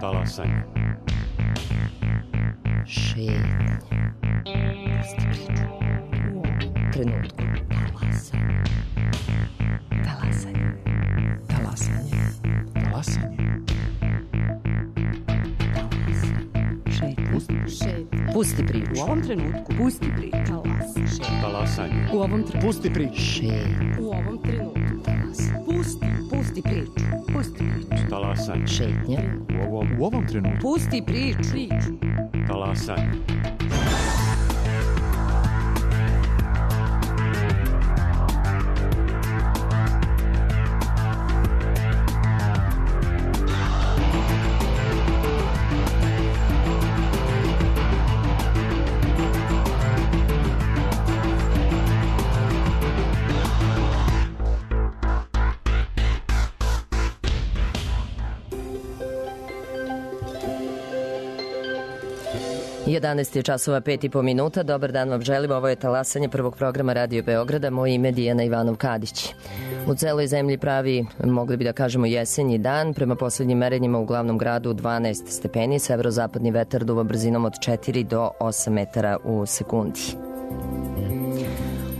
Talasanje. Šetnje. Pusti priču. U ovom trenutku. Talasanje. Talasanje. Talasanje. Talasanje. Šetnje. Pusti priču. U ovom trenutku. Pusti priču. Talasanje. U ovom trenutku. Pusti priču. Šetnje. U ovom trenutku. Pusti priču. Pusti priču. Talasanje. Šetnje. U ovom trenutku. Pusti priču. Talasanje. Jedanaest je časova 5,5 Dobar dan vam želim. Ovo je Talasanje prvog programa Radio Beograda. Moje ime je Dijana Ivanov-Kadić. U celoj zemlji pravi, mogli bi da kažemo, jesenji dan. Prema poslednjim merenjima u glavnom gradu 12 stepeni. Severozapadni vetar duva brzinom od 4 do 8 metara u sekundi.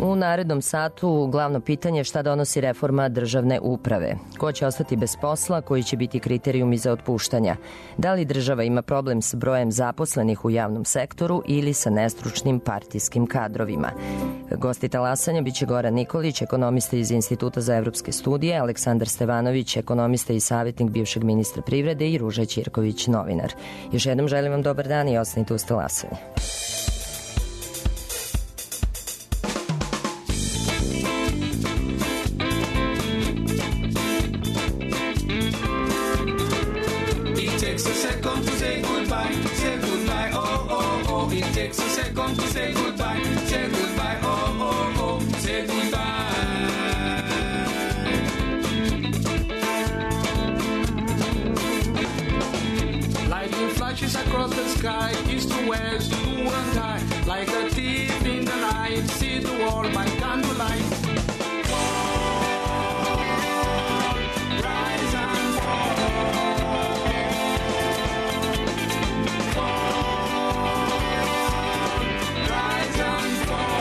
U narednom satu glavno pitanje je šta donosi reforma državne uprave. Ko će ostati bez posla, koji će biti kriterijumi za otpuštanja? Da li država ima problem s brojem zaposlenih u javnom sektoru ili sa nestručnim partijskim kadrovima? Gosti Talasanja biće Goran Nikolić, ekonomista iz Instituta za evropske studije, Aleksandar Stevanović, ekonomista i savjetnik bivšeg ministra privrede i Ruža Ćirković, novinar. Još jednom želim vam dobar dan i ostanite uz Talasanje. Across the sky, east to west, to and high, like a thief in the night, see the world by candlelight. Fall, rise and fall. Fall, rise and fall.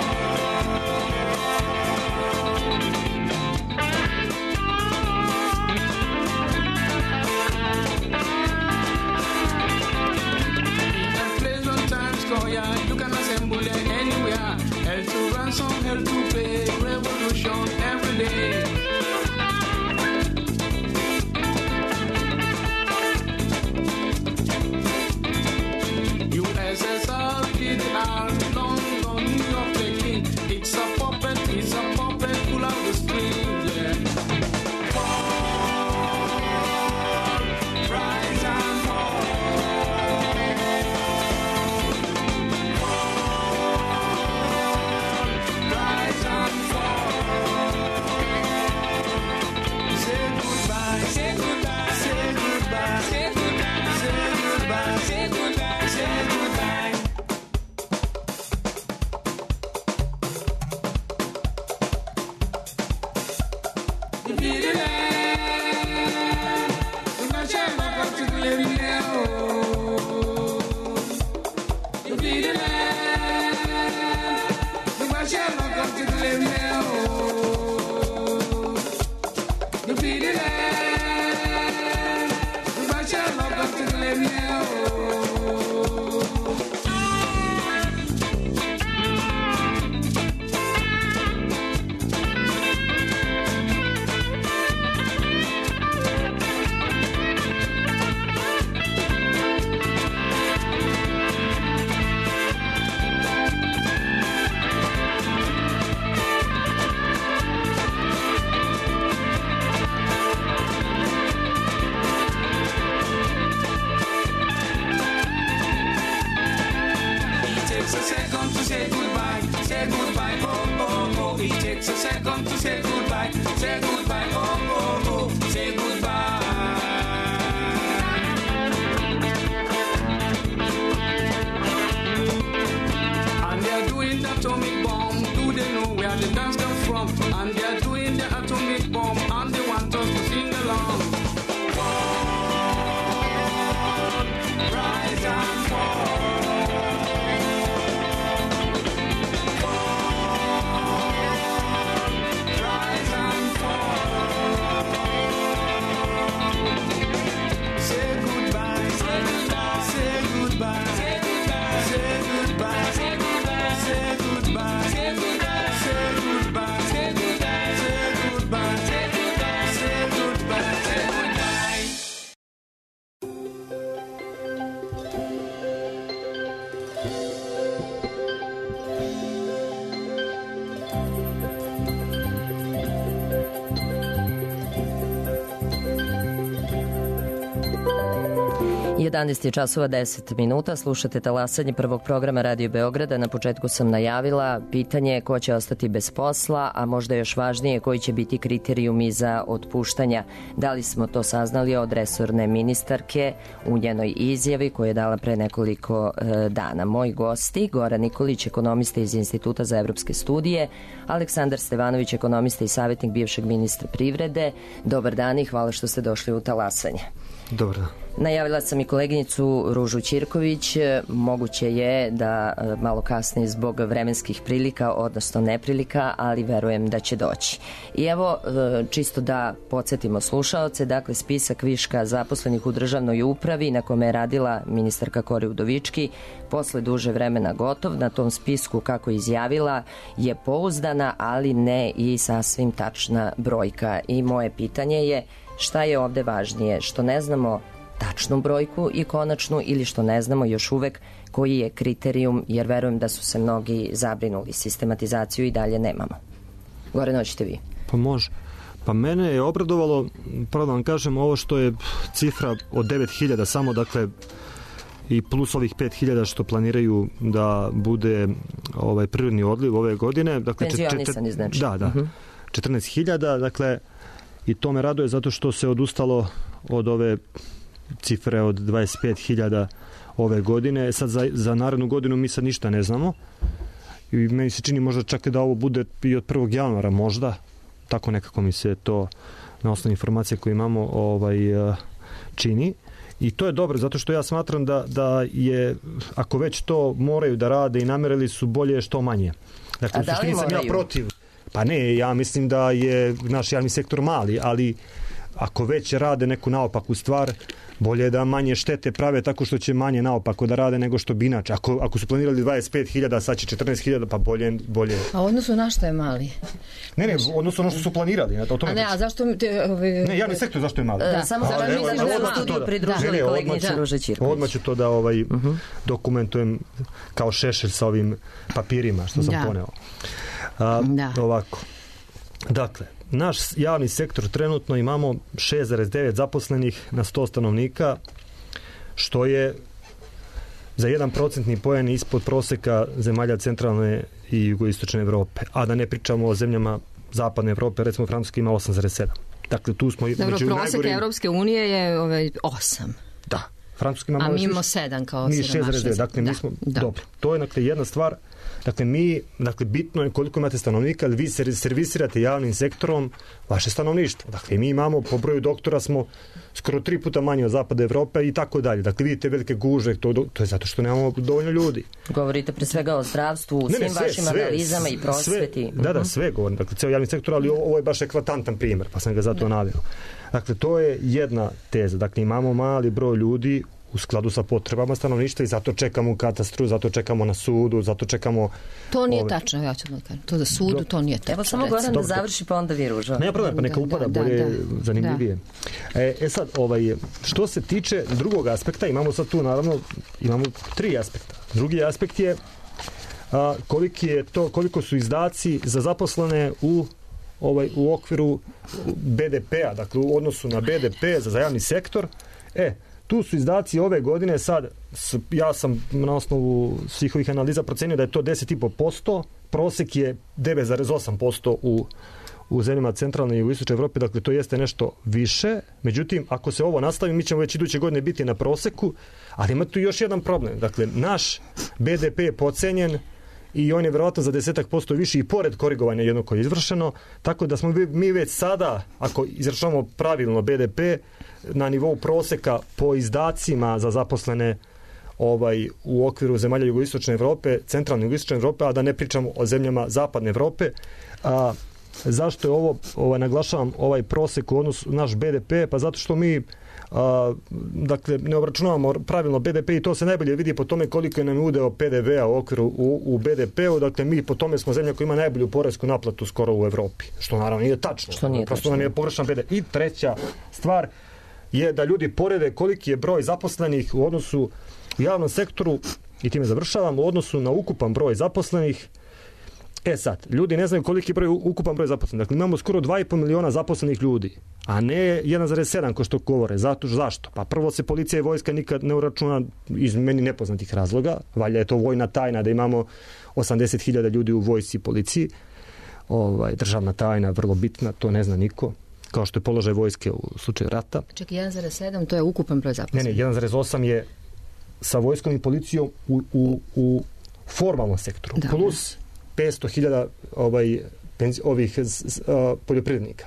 You can assemble them anywhere. Hell to ransom, hell to pay. Revolution every day. USSR, PDR, London, New York, Peking. It's a puppet pull out the string, yeah. Fall, rise and fall. 11 je časova 10 minuta, slušate talasanje prvog programa Radio Beograda. Na početku sam najavila pitanje ko će ostati bez posla, a možda još važnije koji će biti kriterijumi za otpuštanja. Da li smo to saznali od resorne ministarke u njenoj izjavi koju je dala pre nekoliko dana. Moji gosti, Goran Nikolić, ekonomista iz Instituta za evropske studije, Aleksandar Stevanović, ekonomista i savjetnik bivšeg ministra privrede. Dobar dan i hvala što ste došli u talasanje. Dobar dan. Najavila sam i koleginicu Ružu Ćirković. Moguće je da malo kasnije zbog vremenskih prilika, odnosno neprilika, ali verujem da će doći. I evo, čisto da podsjetimo slušaoce, dakle spisak viška zaposlenih u državnoj upravi na kome je radila ministarka Kori Udovički posle duže vremena gotov. Na tom spisku, kako je izjavila, je pouzdana, ali ne i sasvim tačna brojka. I moje pitanje je šta je ovde važnije, što ne znamo tačnu brojku i konačnu ili što ne znamo još uvek koji je kriterijum, jer verujem da su se mnogi zabrinuli. Sistematizaciju i dalje nemamo. Gore noćete vi. Pa može. Pa mene je obradovalo, pravo da vam kažem, ovo što je cifra od 9.000 samo, dakle, i plus ovih 5.000 što planiraju da bude prirodni odliv ove godine. Dakle, penzionisani znači. Da. 14.000, dakle, i to me raduje zato što se odustalo od ove cifre od 25.000 ove godine. Sad za narednu godinu mi sad ništa ne znamo i meni se čini možda čak da ovo bude i od 1. januara možda, tako nekako mi se to na osnovu informacije koje imamo čini. I to je dobro, zato što ja smatram da je, ako već to moraju da rade i namerili su, bolje što manje. Dakle, a da li moraju? Ja protiv. Pa ne, ja mislim da je naš javni sektor mali, ali ako već rade neku naopaku stvar, bolje je da manje štete prave tako što će manje naopako da rade nego što bi inače. Ako su planirali 25.000, sad će 14.000, pa bolje. A odnosu na što je mali? Ne, odnosno ono što su planirali. A zašto... Ne, javni sektor zašto je mali? Da, samo zato mi se u studiju pridružili koleginica Ruža Ćirković. Odmah ću to da dokumentujem kao šešelj sa ovim papirima što sam poneo. Ovako. Dakle, naš javni sektor trenutno imamo 6,9 zaposlenih na 100 stanovnika, što je za 1% poen ispod proseka zemalja centralne i jugoistočne Evrope. A da ne pričamo o zemljama zapadne Evrope, recimo Francuska ima 8,7. Dakle, tu smo među najgorim. Prosek Evropske unije je 8. Da. Francuska ima a mi imamo 7 kao 6,9. Dakle, mi smo dobro. To je jedna stvar. Dakle, bitno je koliko imate stanovnika, ali vi servisirate javnim sektorom vaše stanovništvo. Dakle, mi imamo, po broju doktora smo skoro 3 puta manje od zapada Evrope i tako dalje. Dakle, vidite velike gužve, to je zato što nemamo dovoljno ljudi. Govorite pre svega o zdravstvu, u svim vašim analizama i prosveti. Da, sve govorim. Dakle, ceo javni sektor, ali ovo je baš eklatantan primjer, pa sam ga zato naveo. Dakle, to je jedna teza. Dakle, imamo mali broj ljudi u skladu sa potrebama stanovništva i zato čekamo u katastru, zato čekamo na sudu, zato čekamo... To nije tačno, ja ću da kažem. To da sudu, to nije tačno. Evo samo Goran da završi, pa onda vi Ruža. Nema problem, pa neka upada bolje, zanimljivije. Sad, što se tiče drugog aspekta, imamo sad tu, naravno, imamo 3 aspekta. Drugi aspekt je koliko su izdaci za zaposlene u okviru BDP-a, dakle u odnosu na BDP za javni sektor. Tu su izdaci ove godine, sad ja sam na osnovu svih ovih analiza procenio da je to 10,5%, prosek je 9,8% u zemljama centralne i jugoistočne Evrope, dakle to jeste nešto više. Međutim, ako se ovo nastavi, mi ćemo već iduće godine biti na proseku, ali ima tu još jedan problem. Dakle, naš BDP je podcenjen i on je verovatno za 10% više i pored korigovanja jednog koje je izvršeno, tako da smo mi već sada, ako izračunamo pravilno BDP, na nivou proseka po izdacima za zaposlene u okviru zemalja jugoistočne Evrope, centralne jugoistočne Evrope, a da ne pričamo o zemljama zapadne Evrope. Zašto je ovo naglašavam ovaj prosek u odnosu naš BDP? Pa zato što mi dakle, ne obračunavamo pravilno BDP i to se najbolje vidi po tome koliko je nam udeo PDV-a u okviru u BDP-u. Dakle, mi po tome smo zemlja koja ima najbolju poresku naplatu skoro u Evropi. Što naravno nije tačno. Prosto nam je pogrešan BDP. I treća stvar je da ljudi porede koliki je broj zaposlenih u odnosu u javnom sektoru, i time završavam, u odnosu na ukupan broj zaposlenih Sad, ljudi ne znaju koliki je ukupan broj zaposlenih. Dakle, imamo skoro 2,5 miliona zaposlenih ljudi, a ne 1,7 ko što govore. Zašto? Pa prvo se policija i vojska nikad ne uračuna iz meni nepoznatih razloga. Valjda je to vojna tajna da imamo 80.000 ljudi u vojsci i policiji. Državna tajna, vrlo bitna, to ne zna niko. Kao što je položaj vojske u slučaju rata. Čak 1,7 to je ukupan broj zaposlenih. Ne, 1,8 je sa vojskom i policijom u formalnom sektoru. Da. Plus 500.000 ovih poljoprivrednika.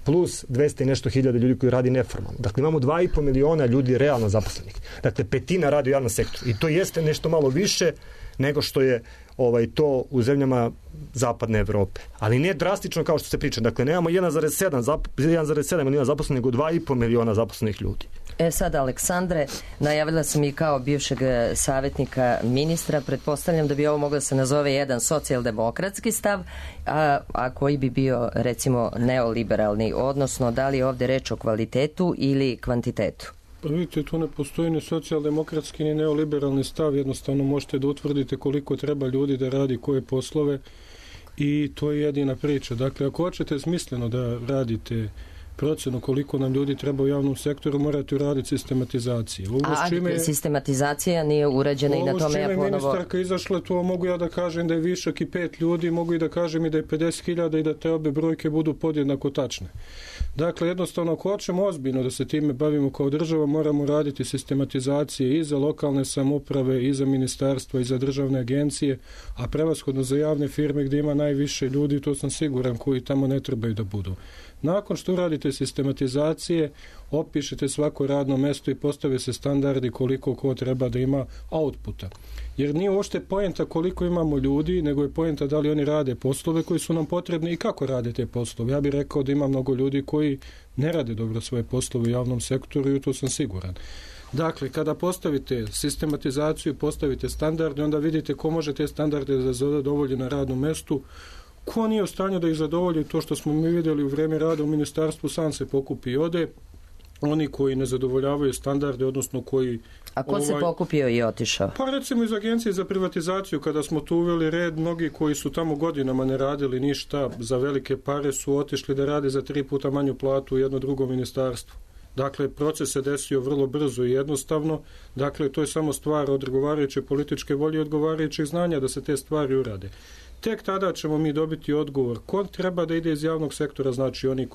Plus 200 i nešto hiljada ljudi koji radi neformalno. Dakle, imamo 2,5 miliona ljudi realno zaposlenih. Dakle, petina radi u javnom sektoru. I to jeste nešto malo više nego što je to u zemljama zapadne Evrope. Ali ne drastično kao što se priča. Dakle, nemamo 1,7 miliona zaposlenih, nego 2,5 miliona zaposlenih ljudi. Sad, Aleksandre, najavila sam i kao bivšeg savjetnika ministra, pretpostavljam da bi ovo moglo se nazove jedan socijaldemokratski stav, a koji bi bio, recimo, neoliberalni, odnosno da li je ovde reč o kvalitetu ili kvantitetu? Pa vidite, tu ne postoji ni socijaldemokratski ni neoliberalni stav, jednostavno možete da utvrdite koliko treba ljudi da radi koje poslove i to je jedina priča. Dakle, ako hoćete smisleno da radite procenu koliko nam ljudi treba u javnom sektoru, morate uraditi sistematizaciju. Sistematizacija nije urađena i na tome ja ponovo... Ovo s čime ministarka izašla, to mogu ja da kažem da je višak i 5 ljudi, mogu i da kažem i da je 50.000 i da te obe brojke budu podjednako tačne. Dakle, jednostavno, ako hoćemo ozbiljno da se time bavimo kao država, moramo raditi sistematizacije i za lokalne samouprave, i za ministarstva, i za državne agencije, a prevashodno za javne firme gdje ima najviše ljudi, to sam siguran, koji tamo ne trebaju da budu. Nakon što uradite sistematizacije, opišete svako radno mesto i postave se standardi koliko ko treba da ima outputa. Jer nije uopšte poenta koliko imamo ljudi, nego je poenta da li oni rade poslove koji su nam potrebni i kako rade te poslove. Ja bih rekao da ima mnogo ljudi koji ne rade dobro svoje poslove u javnom sektoru i to sam siguran. Dakle, kada postavite sistematizaciju, postavite standarde, onda vidite ko može te standarde da zadovolji na radnom mestu, ko nije u stanju da ih zadovolji. To što smo mi vidjeli u vreme rada u ministarstvu, sam se pokupi i ode. Oni koji ne zadovoljavaju standarde, odnosno koji... A ko se pokupio i otišao? Pa recimo iz Agencije za privatizaciju, kada smo tu uveli red, mnogi koji su tamo godinama ne radili ništa za velike pare su otišli da rade za 3 puta manju platu u jedno drugo ministarstvo. Dakle, proces se desio vrlo brzo i jednostavno. Dakle, to je samo stvar odgovarajuće političke volje i odgovarajućih znanja da se te stvari urade. Tek tada ćemo mi dobiti odgovor ko treba da ide iz javnog sektora, znači oni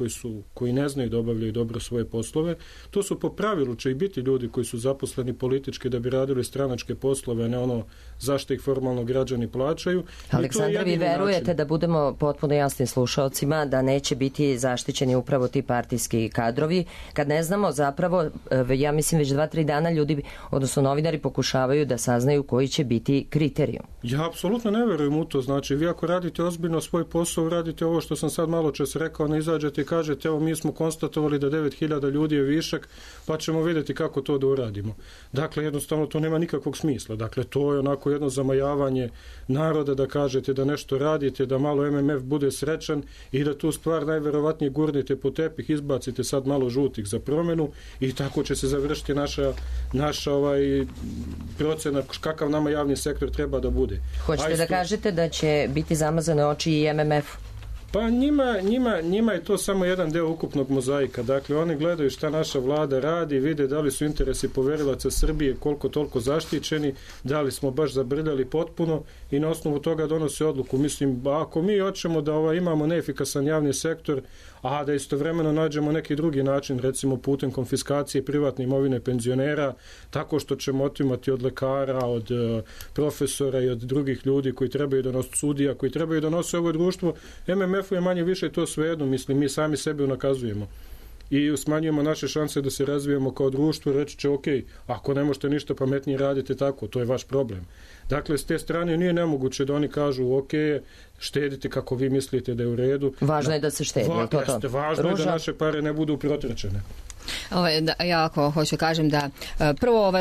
koji ne znaju da obavljaju dobro svoje poslove. To su po pravilu će i biti ljudi koji su zaposleni politički da bi radili stranačke poslove, a ne ono zašto ih formalno građani plaćaju. Aleksandar, vi verujete da budemo potpuno jasni slušalcima da neće biti zaštićeni upravo ti partijski kadrovi, kad ne znamo zapravo, ja mislim već 2-3 dana ljudi, odnosno novinari pokušavaju da saznaju koji će biti kriterijum. Ja apsolutno ne verujem u to, znači vi ako radite ozbiljno svoj posao, radite ovo što sam sad malo čas rekao, ne izađete i kažete evo mi smo konstatovali da 9.000 ljudi je višak, pa ćemo vidjeti kako to da uradimo. Dakle, jednostavno to nema nikakvog smisla. Dakle, to je onako jedno zamajavanje naroda da kažete da nešto radite, da malo MMF bude srećan i da tu stvar najverovatnije gurnete po tepih, izbacite sad malo žutih za promjenu i tako će se završiti naša procena kakav nama javni sektor treba da bude. Hoćete da kažete da će biti zamazane oči i MMF-u? Pa njima je to samo jedan deo ukupnog mozaika. Dakle, oni gledaju šta naša vlada radi, vide da li su interesi poverilaca Srbije koliko toliko zaštićeni, da li smo baš zabrljali potpuno i na osnovu toga donose odluku. Mislim, ako mi hoćemo da imamo neefikasan javni sektor, a da istovremeno nađemo neki drugi način, recimo putem konfiskacije privatne imovine penzionera, tako što ćemo otimati od lekara, od profesora i od drugih ljudi koji trebaju da nose sudija, koji trebaju da nose ovo društvo, MMF-u je manje više to svejedno, mislim, mi sami sebe unakazujemo i smanjujemo naše šanse da se razvijemo kao društvo, reći će ok, ako ne možete ništa pametnije radite tako, to je vaš problem. Dakle, s te strane nije nemoguće da oni kažu ok, štedite kako vi mislite da je u redu. Važno je da se štedi. Važno je da naše pare ne budu protrčene. Ja ako hoću kažem da prvo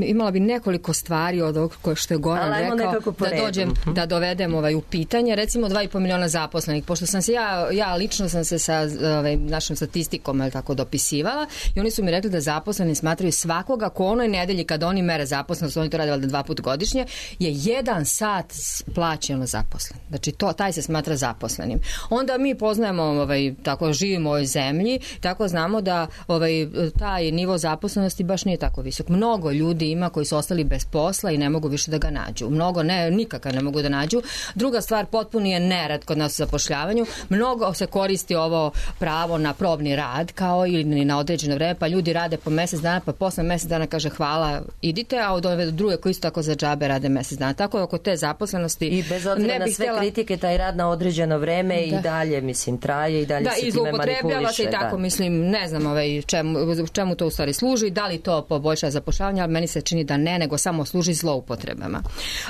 imala bi nekoliko stvari od ovog što je Goran rekao da dovedem u pitanje. Recimo 2,5 miliona zaposlenih, pošto sam se ja lično sam se sa našom statistikom tako dopisivala i oni su mi rekli da zaposleni smatraju svakoga ko onoj nedelji kad oni mere zaposlenost, oni to rade valjda 2 puta godišnje, je 1 sat plaćeno zaposlen. Znači taj se smatra zaposlenim. Onda mi poznajemo, tako živimo u ovoj zemlji, tako znamo da taj nivo zaposlenosti baš nije tako visok. Mnogo ljudi ima koji su ostali bez posla i ne mogu više da ga nađu. Mnogo nikakav ne mogu da nađu. Druga stvar, potpuni je nerad kod nas u zapošljavanju. Mnogo se koristi ovo pravo na probni rad kao ili na određeno vreme, pa ljudi rade po mjesec dana, pa posle mjesec dana kaže hvala, idite, a od ove druge koji isto tako za džabe rade mjesec dana. Tako je oko te zaposlenosti. I bez obzira na sve kritike, taj rad na određeno vreme i dalje, mislim, traje i dalje se time manipuliše. Se i tako, mislim, ne znam čemu to u stvari služi, da li to poboljša zapošljavanje, ali meni se čini da ne, nego samo služi zloupotrebama.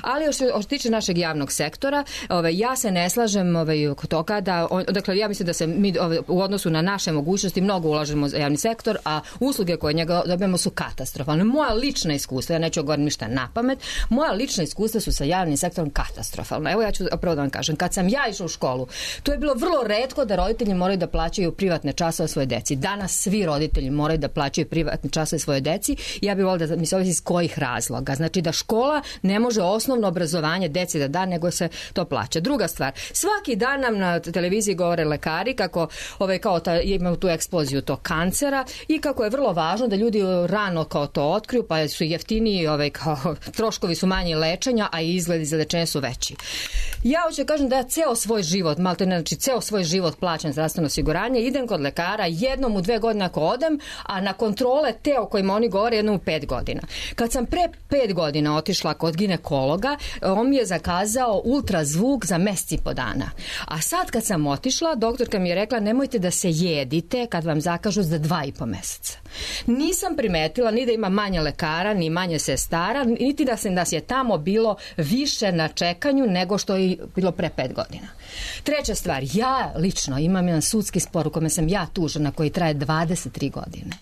Ali što se tiče našeg javnog sektora, ja se ne slažem oko toga da, dakle, ja mislim da se mi u odnosu na naše mogućnosti mnogo ulažemo za javni sektor, a usluge koje njega dobijemo su katastrofalne. Moja lična iskustva, ja neću govoriti ništa na pamet, moja lična iskustva su sa javnim sektorom katastrofalna. Evo ja ću prvo da vam kažem, kad sam ja išla u školu, to je bilo vrlo retko da roditelji moraju da plaćaju privatne časove svoje deci. Danas svi roditelji moraju da plaćaju privatne časove svoje deci. Ja bih volila da mi se ovisi iz kojih razloga. Znači da škola ne može osnovno obrazovanje deci da da, nego se to plaća. Druga stvar, svaki dan nam na televiziji govore lekari kako imaju tu eksploziju tog kancera i kako je vrlo važno da ljudi rano kao to otkriju, pa su jeftiniji, troškovi su manji lečenja, a i izgledi za lečenje su veći. Ja hoću kažem da ja ceo svoj život, ceo svoj život plaćam zdravstveno osiguranje, idem kod lekara jednom u 2 godine ako odem, a na kontrole te o kojima oni govore jednom u 5 godina. Kad sam pre 5 godina otišla kod ginekologa, on mi je zakazao ultrazvuk za mjesec i po dana. A sad kad sam otišla, doktorka mi je rekla nemojte da se jedite kad vam zakažu za 2,5 mjeseca. Nisam primetila ni da ima manje lekara, ni manje sestara, niti da nas je tamo bilo više na čekanju nego što je bilo pre 5 godina. Treća stvar, ja lično imam jedan sudski spor u kome sam ja tužena koji traje 23 godine.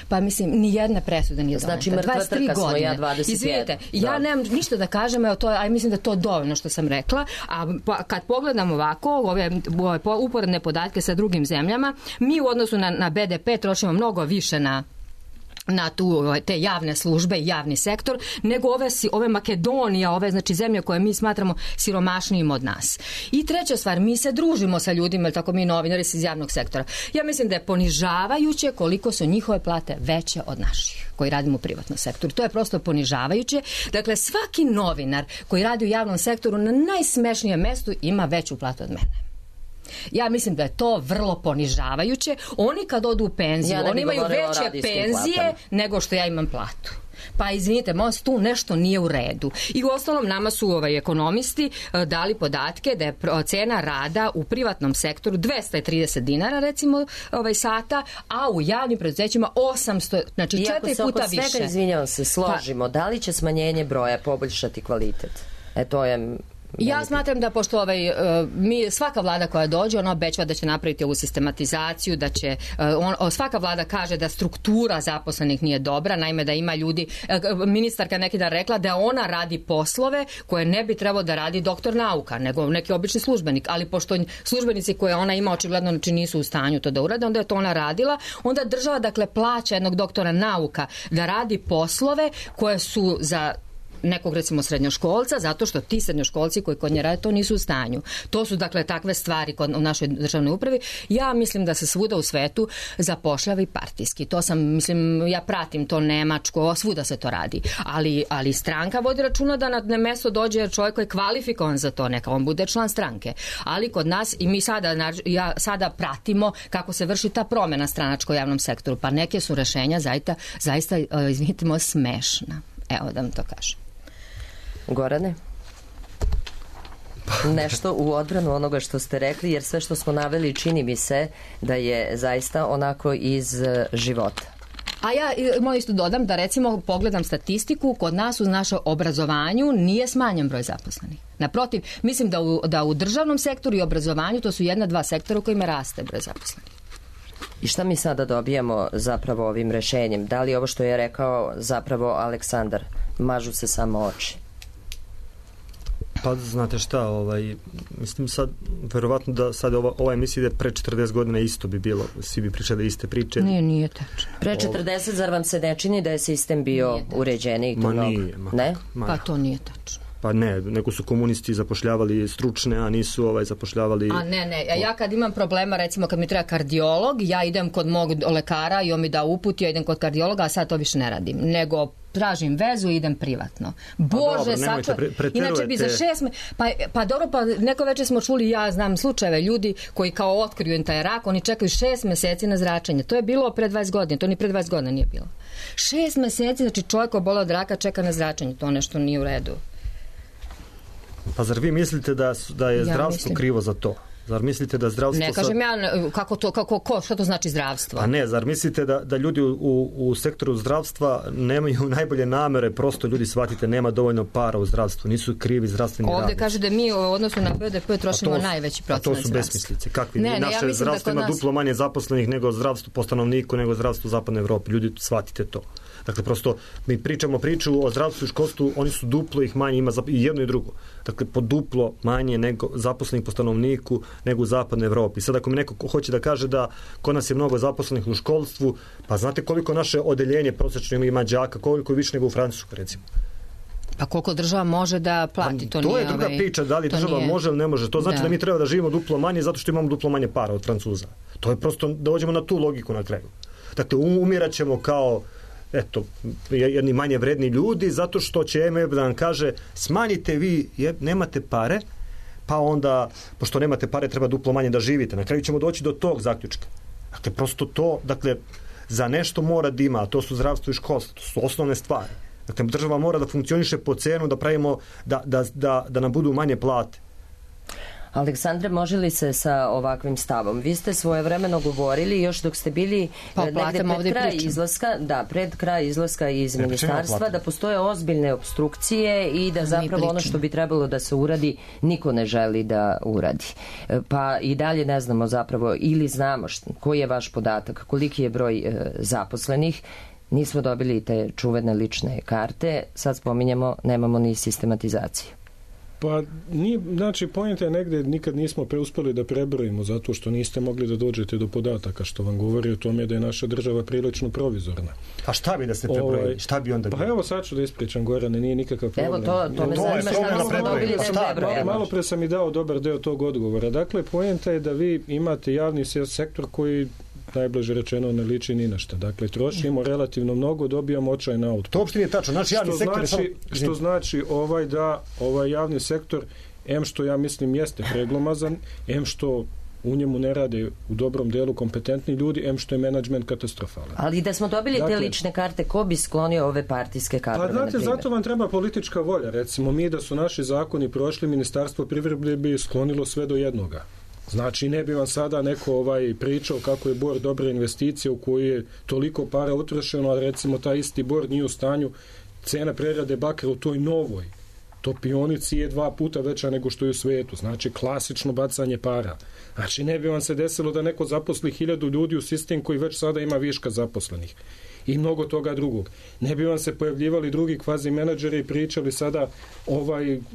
Pa mislim, ni jedna presuda nije doneta. Znači, mrtva trka smo, ja 21. Izvinite, ja nemam ništa da kažem, mislim da je to dovoljno što sam rekla, a kad pogledam ovako, ove uporedne podatke sa drugim zemljama, mi u odnosu na BDP trošimo mnogo više na te javne službe i javni sektor, nego ove Makedonija, znači zemlje koje mi smatramo siromašnijim od nas. I treća stvar, mi se družimo sa ljudima, tako mi novinari iz javnog sektora. Ja mislim da je ponižavajuće koliko su njihove plate veće od naših koji radimo u privatnom sektoru. To je prosto ponižavajuće. Dakle, svaki novinar koji radi u javnom sektoru na najsmešnijem mestu ima veću platu od mene. Ja mislim da je to vrlo ponižavajuće. Oni kad odu u penziju, oni imaju veće penzije nego što ja imam platu. Pa izvinite, tu nešto nije u redu. I u ostalom nama su ekonomisti dali podatke da je cena rada u privatnom sektoru 230 dinara recimo sata, a u javnim preduzećima 800, znači 4 puta više. Iako se oko svega, izvinjavam se, složimo, da li će smanjenje broja poboljšati kvalitet? To je... Ja smatram da pošto svaka vlada koja dođe, ona obećava da će napraviti ovu sistematizaciju, da će svaka vlada kaže da struktura zaposlenih nije dobra, naime da ima ljudi, ministarka neki dan rekla da ona radi poslove koje ne bi trebao da radi doktor nauka, nego neki obični službenik, ali pošto službenici koje ona ima očigledno nisu u stanju to da urade, onda je to ona radila, onda država dakle plaća jednog doktora nauka da radi poslove koje su za nekog recimo srednjoškolca, zato što ti srednjoškolci koji kod nje rade to nisu u stanju. To su dakle takve stvari u našoj državnoj upravi. Ja mislim da se svuda u svetu zapošljava i partijski. To ja pratim to Nemačko, svuda se to radi. Ali stranka vodi računa da na mesto dođe čovjek koji je kvalifikovan za to, neka on bude član stranke. Ali kod nas i mi sada pratimo kako se vrši ta promjena stranačko u javnom sektoru. Pa neke su rešenja zaista izvinite, smešna. Evo da vam to kažem. Gorane? Nešto u odbranu onoga što ste rekli, jer sve što smo naveli čini mi se da je zaista onako iz života. A ja moram isto dodam da recimo pogledam statistiku, kod nas u našem obrazovanju nije smanjen broj zaposlenih. Naprotiv, mislim da u državnom sektoru i obrazovanju to su 1-2 sektora u kojima raste broj zaposlenih. I šta mi sada dobijamo zapravo ovim rešenjem? Da li ovo što je rekao zapravo Aleksandar, mažu se samo oči? Pa znate šta, mislim sad, verovatno da sad ova emisija ide pre 40 godina isto bi bilo, svi bi pričali iste priče. Nije tačno. Pre 40, zar vam se ne čini da je sistem bio uređeniji? Ma nije. Ne? Pa to nije tačno. Pa ne, neko su komunisti zapošljavali stručne, a nisu zapošljavali... A ne, ja kad imam problema, recimo kad mi treba kardiolog, ja idem kod mog lekara i on mi da uput, ja idem kod kardiologa, a sad to više ne radim, nego tražim vezu i idem privatno. Bože, inače bi za 6 pa dobro, pa neko večer smo čuli, ja znam slučajeve ljudi koji kao otkriju taj rak, oni čekaju 6 meseci na zračenje. To je bilo pre 20 godina, to ni pre 20 godina nije bilo. 6 meseci, znači čovjek oboleo od raka čeka na zračenje, to nešto nije u redu. Pa zar vi mislite da je zdravstvo krivo za to? Zar mislite da zdravstvo... Ne kažem šta to znači zdravstvo? A ne, zar mislite da ljudi u sektoru zdravstva nemaju najbolje namere, prosto ljudi shvatite, nema dovoljno para u zdravstvu, nisu krivi zdravstveni radnici. Ovdje kaže da mi u odnosu na BDP trošimo najveći procenat zdravstva. A to su besmislice. Kakvi? Naše zdravstvo ima duplo manje zaposlenih nego zdravstvo po stanovniku, nego zdravstvo u zapadnoj Evropi. Ljudi, shvatite to. Dakle, prosto mi pričamo priču o zdravstvu i školstvu, oni su duplo ih manje, ima i jedno i drugo. Dakle, po duplo manje nego zaposlenih po stanovniku nego u zapadnoj Evropi. Sad ako mi neko hoće da kaže da kod nas je mnogo zaposlenih u školstvu, pa znate koliko naše odeljenje prosječno ima đaka, koliko je više nego u Francuskoj, recimo. Pa koliko država može da plati, to je druga priča, da li država može ili ne može. To znači da mi treba da živimo duplo manje zato što imamo duplo manje para od Francuza. To je prosto, dođemo na tu logiku na kraju. Dakle, umirat ćemo kao jedni manje vredni ljudi zato što će MF da nam kaže smanjite vi, nemate pare, pa onda, pošto nemate pare, treba duplo manje da živite. Na kraju ćemo doći do tog zaključka. Dakle, prosto to, za nešto mora da ima, a to su zdravstvo i školstvo, to su osnovne stvari. Dakle, država mora da funkcioniše po cenu, da pravimo, da nam budu manje plate. Aleksandre, može li se sa ovakvim stavom? Vi ste svojevremeno govorili još dok ste bili pred kraj izlaska iz ministarstva da postoje ozbiljne opstrukcije i da zapravo ono što bi trebalo da se uradi niko ne želi da uradi. Pa i dalje ne znamo zapravo ili znamo koji je vaš podatak, koliki je broj zaposlenih. Nismo dobili te čuvene lične karte, sad spominjemo, nemamo ni sistematizaciju. Pa, znači, pojenta je negdje nikad nismo uspjeli da prebrojimo zato što niste mogli da dođete do podataka, što vam govori o tome da je naša država prilično provizorna. A šta bi da se prebrojili? Šta bi onda bilo? Pa evo sad ću da ispričam, Gorane, nije nikakav problem. Evo to me zanima šta smo dobili da prebrojimo. Malo pre sam i dao dobar deo tog odgovora. Dakle, pojenta je da vi imate javni sektor koji najbliže rečeno ne liči ni na šta. Dakle, trošimo relativno mnogo, dobijamo očajna output. To uopšte nije tačno. Naš javni sektor je samo... Što znači da ovaj javni sektor, što ja mislim jeste preglomazan, što u njemu ne rade u dobrom delu kompetentni ljudi, što je menadžment katastrofalan. Ali da smo dobili te lične karte, ko bi sklonio ove partijske kadrove? Pa znate, zato vam treba politička volja. Recimo, mi da su naši zakoni prošli, Ministarstvo privrede bi sklonilo sve do jednoga. Znači, ne bi vam sada neko pričao kako je Bor dobra investicija u koju je toliko para utrošeno, a recimo taj isti Bor nije u stanju, cena prerade bakra u toj novoj topionici je 2 puta veća nego što je u svijetu. Znači, klasično bacanje para. Znači, ne bi vam se desilo da neko zaposli 1000 ljudi u sistem koji već sada ima viška zaposlenih. I mnogo toga drugog. Ne bi vam se pojavljivali drugi kvazi menadžeri i pričali sada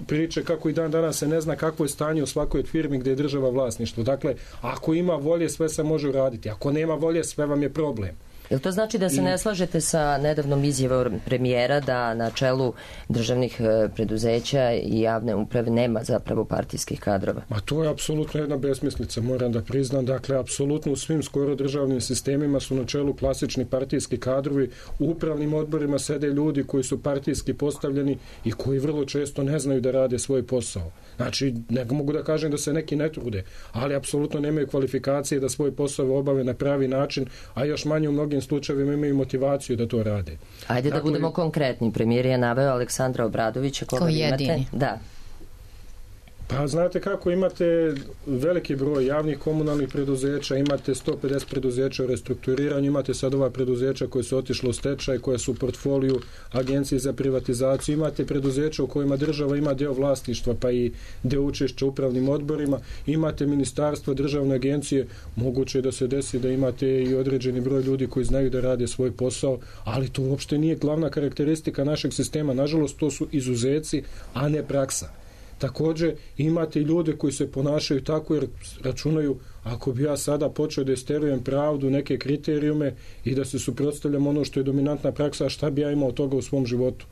priče kako i dan danas se ne zna kakvo je stanje u svakoj firmi gdje je država vlasništvo. Dakle, ako ima volje, sve se može uraditi. Ako nema volje, sve vam je problem. Jel to znači da se ne slažete sa nedavnom izjavom premijera da na čelu državnih preduzeća i javne uprave nema zapravo partijskih kadrova? Ma to je apsolutno jedna besmislica, moram da priznam. Dakle, apsolutno u svim skoro državnim sistemima su na čelu klasični partijski kadrovi. U upravnim odborima sede ljudi koji su partijski postavljeni i koji vrlo često ne znaju da rade svoj posao. Znači, ne mogu da kažem da se neki ne trude, ali apsolutno nemaju kvalifikacije da svoj posao obave na pravi način, a još manje u mnogim slučajevima imaju motivaciju da to rade. Ajde da budemo konkretni. Premijer je naveo Aleksandra Obradovića, koga vi imate. Jedini. Da. Pa znate kako, imate veliki broj javnih komunalnih preduzeća, imate 150 preduzeća u restrukturiranju, imate sad ova preduzeća koje su otišle u stečaj, koje su u portfoliju Agencije za privatizaciju, imate preduzeća u kojima država ima deo vlasništva pa i deo učešća u upravnim odborima, imate ministarstvo, državne agencije, moguće je da se desi da imate i određeni broj ljudi koji znaju da rade svoj posao, ali to uopšte nije glavna karakteristika našeg sistema, nažalost to su izuzeci, a ne praksa. Također imate i ljude koji se ponašaju tako jer računaju, ako bi ja sada počeo da isterujem pravdu, neke kriterijume i da se suprotstavljam ono što je dominantna praksa, šta bi ja imao od toga u svom životu.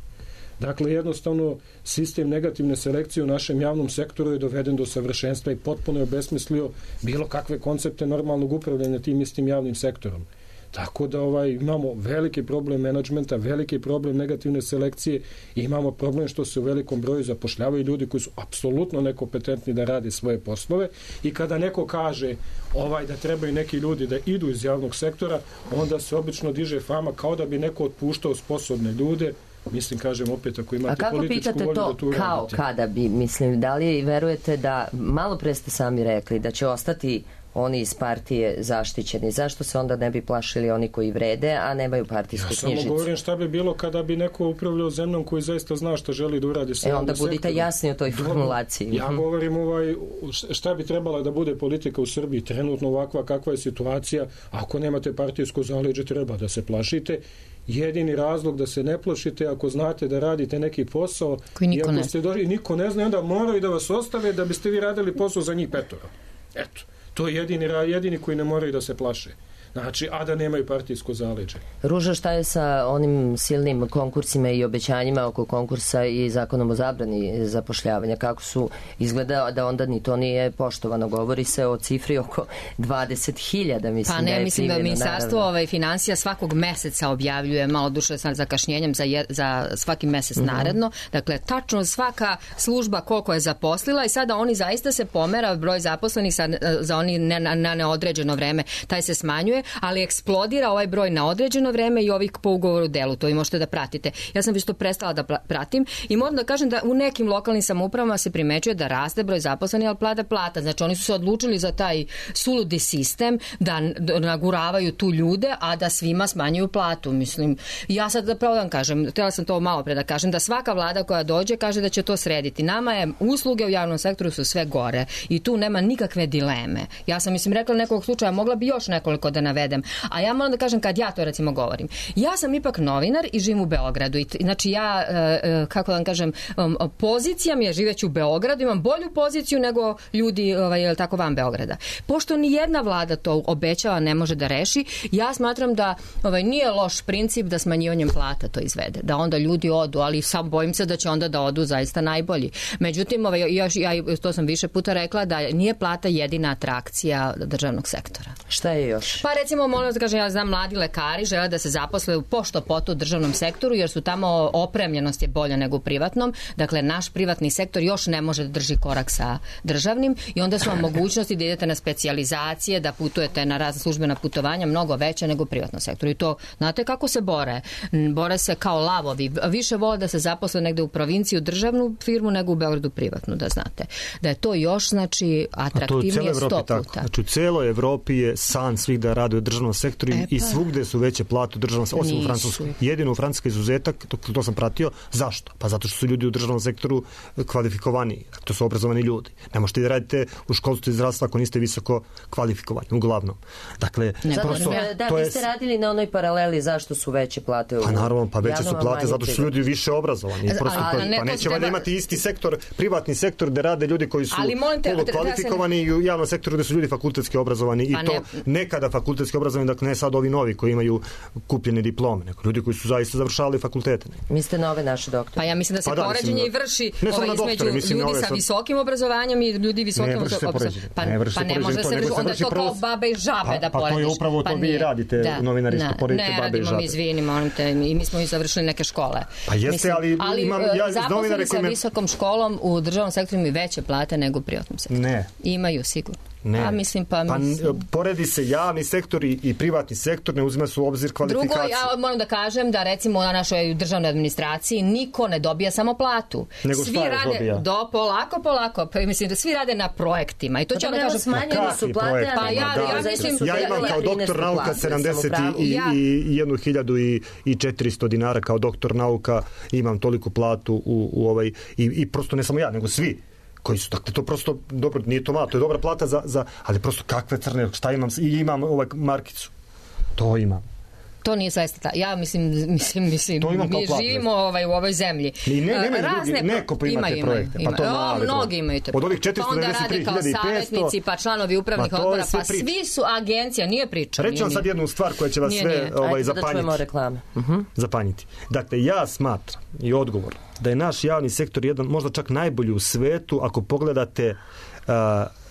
Dakle, jednostavno, sistem negativne selekcije u našem javnom sektoru je doveden do savršenstva i potpuno je obesmislio bilo kakve koncepte normalnog upravljanja tim istim javnim sektorom. Tako da imamo veliki problem menadžmenta, veliki problem negativne selekcije i imamo problem što se u velikom broju zapošljavaju ljudi koji su apsolutno nekompetentni da rade svoje poslove i kada neko kaže da trebaju neki ljudi da idu iz javnog sektora, onda se obično diže fama kao da bi neko otpuštao sposobne ljude. Mislim, kažem opet, ako imate političku volju da tu radite. A kako pitate to kao kada bi, mislim, da li verujete da, malo pre ste sami rekli, da će ostati oni iz partije zaštićeni? Zašto se onda ne bi plašili oni koji vrede, a nemaju partijsku knjižicu? Ja samo govorim šta bi bilo kada bi neko upravljao zemljom koji zaista zna šta želi da uradi sa javnim sektorom. Onda budite jasni o toj formulaciji. Ja govorim šta bi trebala da bude politika u Srbiji trenutno ovakva kakva je situacija. Ako nemate partijsko zaleđe, treba da se plašite. Jedini razlog da se ne plašite ako znate da radite neki posao koji niko ne zna. Niko ne zna, onda moraju da vas ostave da biste vi radili posao za njih 5. Eto. To je jedini koji ne moraju da se plaše. Znači, a da nemaju partijsko zaleđe. Ruža, šta je sa onim silnim konkursima i obećanjima oko konkursa i zakonom o zabrani zapošljavanja? Kako su izgleda da onda ni to nije poštovano? Govori se o cifri oko 20.000, mislim. Pa ne, da je mislim da ministarstvo naravno. Finansija svakog meseca objavljuje, malo duše sa zakašnjenjem za svaki mesec naredno. Dakle, tačno svaka služba koliko je zaposlila i sada oni zaista se pomera broj zaposlenih za oni na neodređeno vreme. Taj se smanjuje, ali eksplodira ovaj broj na određeno vreme i ovih po ugovoru delu. To i možete da pratite. Ja sam već to prestala da pratim i moram da kažem da u nekim lokalnim samoupravama se primećuje da raste broj zaposlenih, ali pada plata. Znači oni su se odlučili za taj suludi sistem da naguravaju tu ljude, a da svima smanjuju platu. Mislim, ja sad da pravo da vam kažem, htjela sam to malo pre da kažem, da svaka vlada koja dođe kaže da će to srediti. Nama je usluge u javnom sektoru su sve gore i tu nema nikakve dileme. Ja sam, mislim, rekla nekog slučaja, mogla bi još nekoliko da navedem. A ja moram da kažem, kad ja to recimo govorim, ja sam ipak novinar i živim u Beogradu. Znači ja, kako da vam kažem, pozicija mi je živeći u Beogradu, imam bolju poziciju nego ljudi tako van Beograda. Pošto ni jedna vlada to obećava ne može da reši, ja smatram da nije loš princip da smanjivanjem plata to izvede. Da onda ljudi odu, ali sam bojim se da će onda da odu zaista najbolji. Međutim, ja to sam više puta rekla, da nije plata jedina atrakcija državnog sektora. Šta je još? Pa recimo, molim da kažem, ja znam, mladi lekari žele da se zaposle u pošto poto u državnom sektoru, jer su tamo opremljenost je bolja nego u privatnom. Dakle, naš privatni sektor još ne može da drži korak sa državnim i onda su vam mogućnosti da idete na specijalizacije, da putujete na razne službena putovanja mnogo veće nego u privatnom sektoru. I to, znate kako se bore? Bore se kao lavovi. Više vole da se zaposle negde u provinciji u državnu firmu nego u Beogradu privatnu, da znate. Da je to još, znači, atraktivnije 100 puta. Znači, u celoj Evropi je san svih da rade u državnom sektoru i svugde su veće plate u državnom sektoru, osim u Francuskoj. Jedino u Francuskoj izuzetak, to sam pratio. Zašto? Pa zato što su ljudi u državnom sektoru kvalifikovani. To su obrazovani ljudi. Ne možete da radite u školstvu i zdravstvu ako niste visoko kvalifikovani, uglavnom. Dakle, vi ste radili na onoj paraleli zašto su veće plate u Pa naravno, pa veće su plate zato što su ljudi više obrazovani. Pa neće valjda imati isti sektor, privatni sektor gde rade ljudi koji su kvalifikovani i u javnom sektoru gde su ljudi fakultetski obrazovani i to nekada fakultetski obrazovani, dakle ne sad ovi novi koji imaju kupljene diplome, nego ljudi koji su zaista završavali fakultete. Mislite na ove naše doktore? Pa ja mislim da se poređenje i vrši između ljudi sa visokim obrazovanjem i ljudi visokim obrazovanjem. Pa ne može se vrši, onda je to kao babe i žabe da porediš. Pa to je upravo to vi radite, novinari, što poredite babe i žabe. Ne, izvini, molim te, i mi smo i završili neke škole. Pa jeste, ali imam zaposleni sa visokom školom u državnom sektoru imaju veće plate nego u privatnom sektoru. Ne. Imaju, sigurno. Ne. A mislim, pa mislim. Poredi se javni sektor i privatni sektor, ne uzima se u obzir kvalifikacije. Drugo, ja moram da kažem da recimo na našoj državnoj administraciji niko ne dobija samo platu. Nego svi šta je rade dobija? Polako, pa mislim da svi rade na projektima. I to će onda kažem, smanjeni su plate, pa ja mislim ja imam kao doktor nauka 71.400 dinara kao doktor nauka, imam toliku platu u ovaj i prosto ne samo ja, nego svi koji su, dakle, to prosto, dobro, nije to malo, to je dobra plata ali prosto kakve crne, šta imam, i imam ovaj markicu, to imam. To nije zaista ja mislim mi živimo u ovoj zemlji. Neko pa imate projekte. Pa to mnogi imaju te projekte. Od ovih 493.500 pa onda rade kao savjetnici, pa članovi upravnih odbora, pa svi su agencija, nije priča. Reći vam sad jednu stvar koja će vas sve zapanjiti. Dakle, ja smatram i odgovor da je naš javni sektor jedan, možda čak najbolji u svetu ako pogledate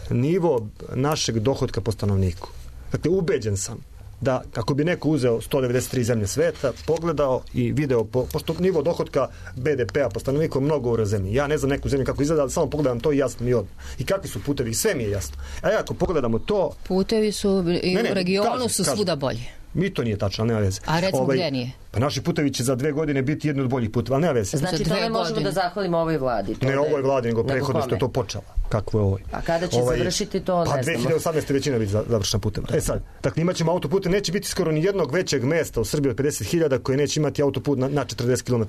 nivo našeg dohotka po stanovniku. Dakle, ubeđen sam da ako bi neko uzeo 193 zemlje sveta, pogledao i video, pošto nivo dohotka BDP-a po stanovniku je mnogo u zemlji. Ja ne znam neku zemlju kako izgleda, ali samo pogledam to i jasno mi odmah. I kakvi su putevi, sve mi je jasno. A ja ako pogledamo to... Putevi su i u regionu su svuda bolji. Mi to nije tačno, ali nema veze. A recimo gdje nije? Pa naši putevi će za 2 godine biti jedni od boljih puteva, ali nema veze. Znači to ne možemo da zahvalimo ovoj vladi. Ne ovoj vladi, nego prethodno što je to počela. Kakvo je ovo? A kada će završiti to, ne znamo. Pa 2018. većina biti završena puteva. Sad, dakle, imat ćemo autopute, neće biti skoro ni jednog većeg mesta u Srbiji od 50.000 koje neće imati autoput na 40 km.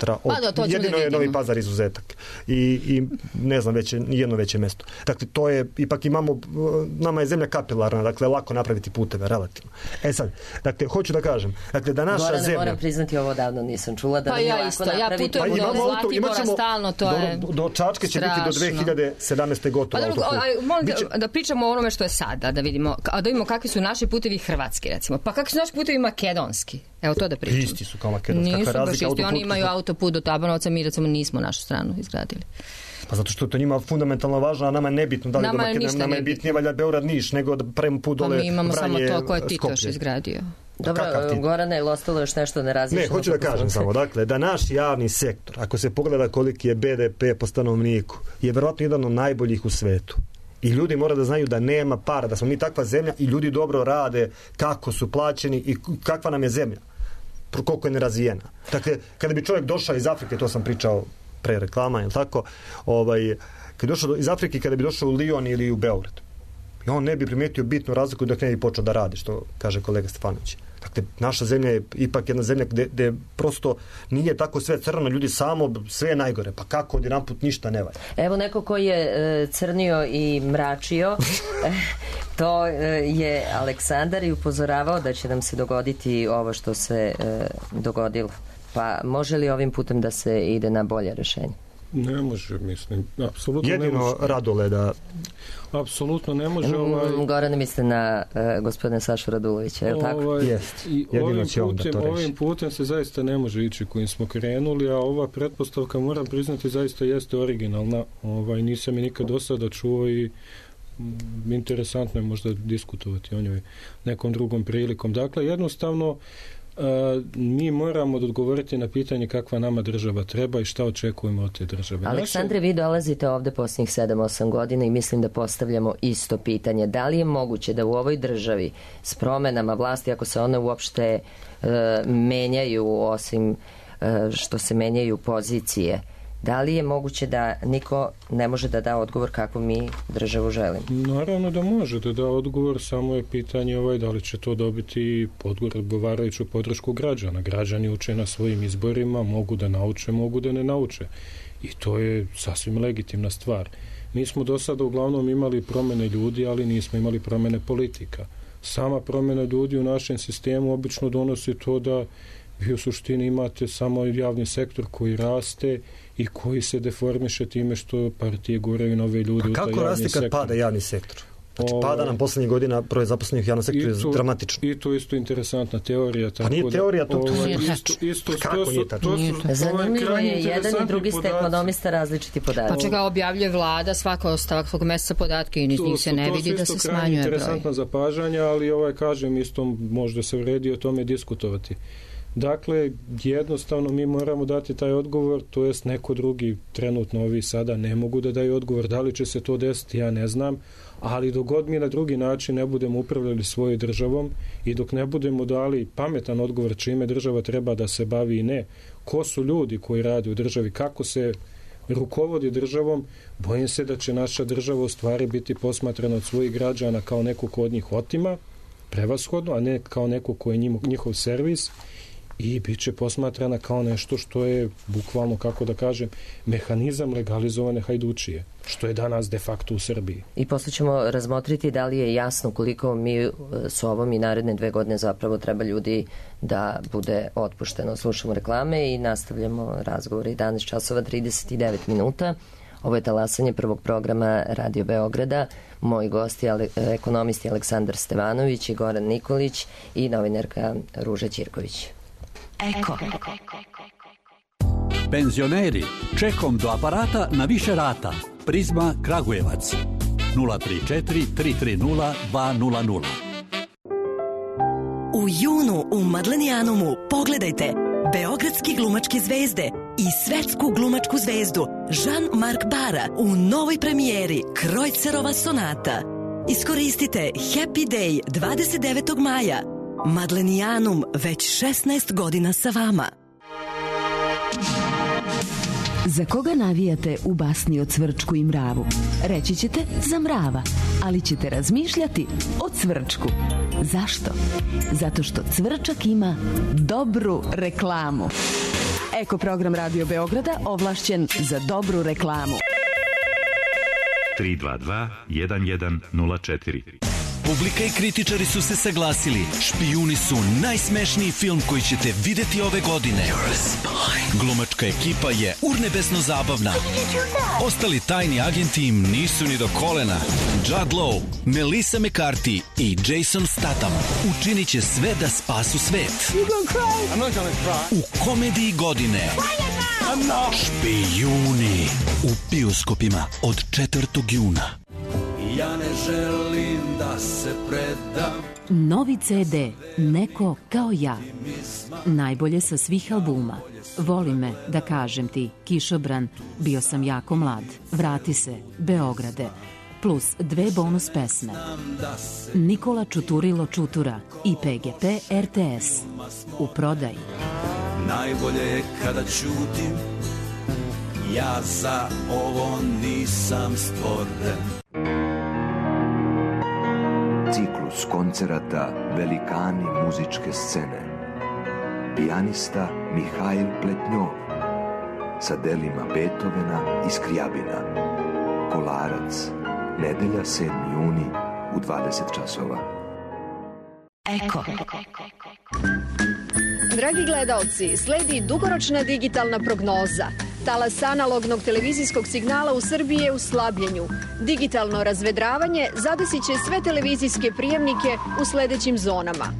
Jedino je Novi Pazar izuzetak. I ne znam, jedno veće mesto. Dakle, to je, ipak nama je zemlja kapilarna, dakle, lako napraviti puteve, relativno. Sad, dakle, hoću da kažem, dakle, da naša zemlja... Moram priznati, ovo davno nisam čula da nije lako napraviti. Ja putujem do Zlatibora stalno, to je do Čačke će biti do 2017. gotovo autoput. Molim da pričamo o onome što je sada, da vidimo kakvi su naši putevi hrvatski, recimo. Pa kakvi su naši putevi makedonski? Evo to da pričamo. Isti su kao makedonski. Nisu baš isti, oni imaju autoput do Tabanovca, mi recimo nismo našu stranu izgradili. Pa zato što to njima fundamentalno važno, a nama je nebitno da li do Makedonije, nama je bitnije valjda Beograd Niš, nego da pravimo put dole Vranje, Skopje. Mi imamo samo to koje ti Skopje. još izgradio. Dobro, Gorane, je li ostalo još nešto nerazličeno? Ne, hoću da kažem samo, dakle, da naš javni sektor, ako se pogleda koliki je BDP po stanovniku, je verovatno jedan od najboljih u svetu. I ljudi mora da znaju da nema para, da smo mi takva zemlja i ljudi dobro rade, kako su plaćeni i kakva nam je zemlja, koliko je nerazvijena. Dakle, kada bi čovjek došao iz Afrike, to sam pričao pre reklama, je tako? Kad došao iz Afrike, kada bi došao u Lion ili u Beograd, i on ne bi primijetio bitnu razliku dok ne bi počeo da radi, što kaže kolega Stefanović. Dakle, naša zemlja je ipak jedna zemlja gde prosto nije tako sve crno, ljudi samo, sve je najgore. Pa kako odjedanput ništa ne valja? Evo neko koji je crnio i mračio, to je Aleksandar i upozoravao da će nam se dogoditi ovo što se dogodilo. Pa može li ovim putem da se ide na bolje rješenje? Ne može, mislim. Apsolutno jedino ne može. Radoleda. Apsolutno ne može. Gorane misle na gospodina Sašu Radulovića, je li tako? Jest. Jedino će on da to reši. Ovim putem se zaista ne može ići kojim smo krenuli, a ova pretpostavka, moram priznati, zaista jeste originalna. Nisam je nikad do sada čuo i interesantno je možda diskutovati o njoj nekom drugom prilikom. Dakle, jednostavno mi moramo odgovoriti na pitanje kakva nama država treba i šta očekujemo od te države. Aleksandre, vi dolazite ovde posljednjih 7-8 godina i mislim da postavljamo isto pitanje. Da li je moguće da u ovoj državi s promenama vlasti, ako se one uopšte menjaju, osim što se menjaju pozicije, da li je moguće da niko ne može da da odgovor kako mi državu želimo? Naravno da može da da odgovor, samo je pitanje da li će to dobiti odgovarajuću podršku građana. Građani uče na svojim izborima, mogu da nauče, mogu da ne nauče. I to je sasvim legitimna stvar. Mi smo do sada uglavnom imali promene ljudi, ali nismo imali promene politika. Sama promena ljudi u našem sistemu obično donosi to da vi u suštini imate samo javni sektor koji raste i koji se deformiše time što partije guraju nove ljude u taj javni sektor. Kako raste kad pada javni sektor? Znači, pada nam poslednjih godina broj zaposlenih u javnom sektoru je dramatično. I to je isto interesantna teorija. Pa nije teorija, to kako nije tačno? Zanimljivo je, jedan i drugi ste ekonomista različiti podaci. Pa čega objavljuje vlada svakog meseca podatke i njih se ne vidi da se smanjuje broj. Interesantna zapažanja, ali kažem isto možda se vredi o tome diskutovati. Dakle, jednostavno mi moramo dati taj odgovor, to jest neko drugi, trenutno ovi sada ne mogu da daju odgovor, da li će se to desiti, ja ne znam, ali dok god mi na drugi način ne budemo upravljali svojoj državom i dok ne budemo dali pametan odgovor čime država treba da se bavi i ne, ko su ljudi koji rade u državi, kako se rukovodi državom, bojim se da će naša država u stvari biti posmatrana od svojih građana kao neko ko od njih otima, prevashodno, a ne kao neko ko je njihov servis, i bit će posmatrana kao nešto što je bukvalno, kako da kažem, mehanizam legalizovane hajdučije, što je danas de facto u Srbiji. I posle ćemo razmotriti da li je jasno koliko mi s ovom i naredne 2 godine zapravo treba ljudi da bude otpušteno. Slušamo reklame i nastavljamo razgovor. 11 časova 39 minuta. Ovo je talasanje prvog programa Radio Beograda. Moji gosti ekonomisti Aleksandar Stevanović i Goran Nikolić i novinarka Ruža Ćirković. Eko. Penzioneri, čekom do aparata na više rata. Prizma Kragujevac 034 330 200. U junu u Madlenijanumu pogledajte beogradski glumačke zvezde i svetsku glumačku zvezdu Jean-Marc Bara u novoj premijeri Krojcerova sonata. Iskoristite Happy Day 29. maja. Madlenijanum već 16 godina sa vama. Za koga navijate u basni o Cvrčku i mravu? Reći ćete za mrava, ali ćete razmišljati o Cvrčku. Zašto? Zato što Cvrčak ima dobru reklamu. Eko program Radio Beograda ovlašćen za dobru reklamu. 322 1104. Publika i kritičari su se saglasili. Špijuni su najsmešniji film koji ćete videti ove godine. Glumačka ekipa je urnebesno zabavna. Ostali tajni agenti im nisu ni do kolena. Judd Law, Melissa McCarthy i Jason Statham učinit će sve da spasu svet. U komediji godine Špijuni u bioskopima od 4. juna. Ja ne želim da se predam. Novi CD Neko kao ja. Najbolje sa svih albuma. Voli me, da kažem ti, Kišobran, bio sam jako mlad. Vrati se, Beograde. Plus 2 bonus pesme. Nikola Čuturilo Čutura i PGP RTS. U prodaji. Najbolje je kada ćutim. Ja za ovo nisam stvoren. Ciklus koncerata Velikani muzičke scene. Pijanista Mihajl Pletnjov sa delima Beethovena i Skrijabina. Kolarac, nedelja 7. juni u 20 časova. Eko. Dragi gledaoci, sledi dugoročna digitalna prognoza. Talas analognog televizijskog signala u Srbiji je u slabljenju. Digitalno razvedravanje zadesit će sve televizijske prijemnike u sledećim zonama.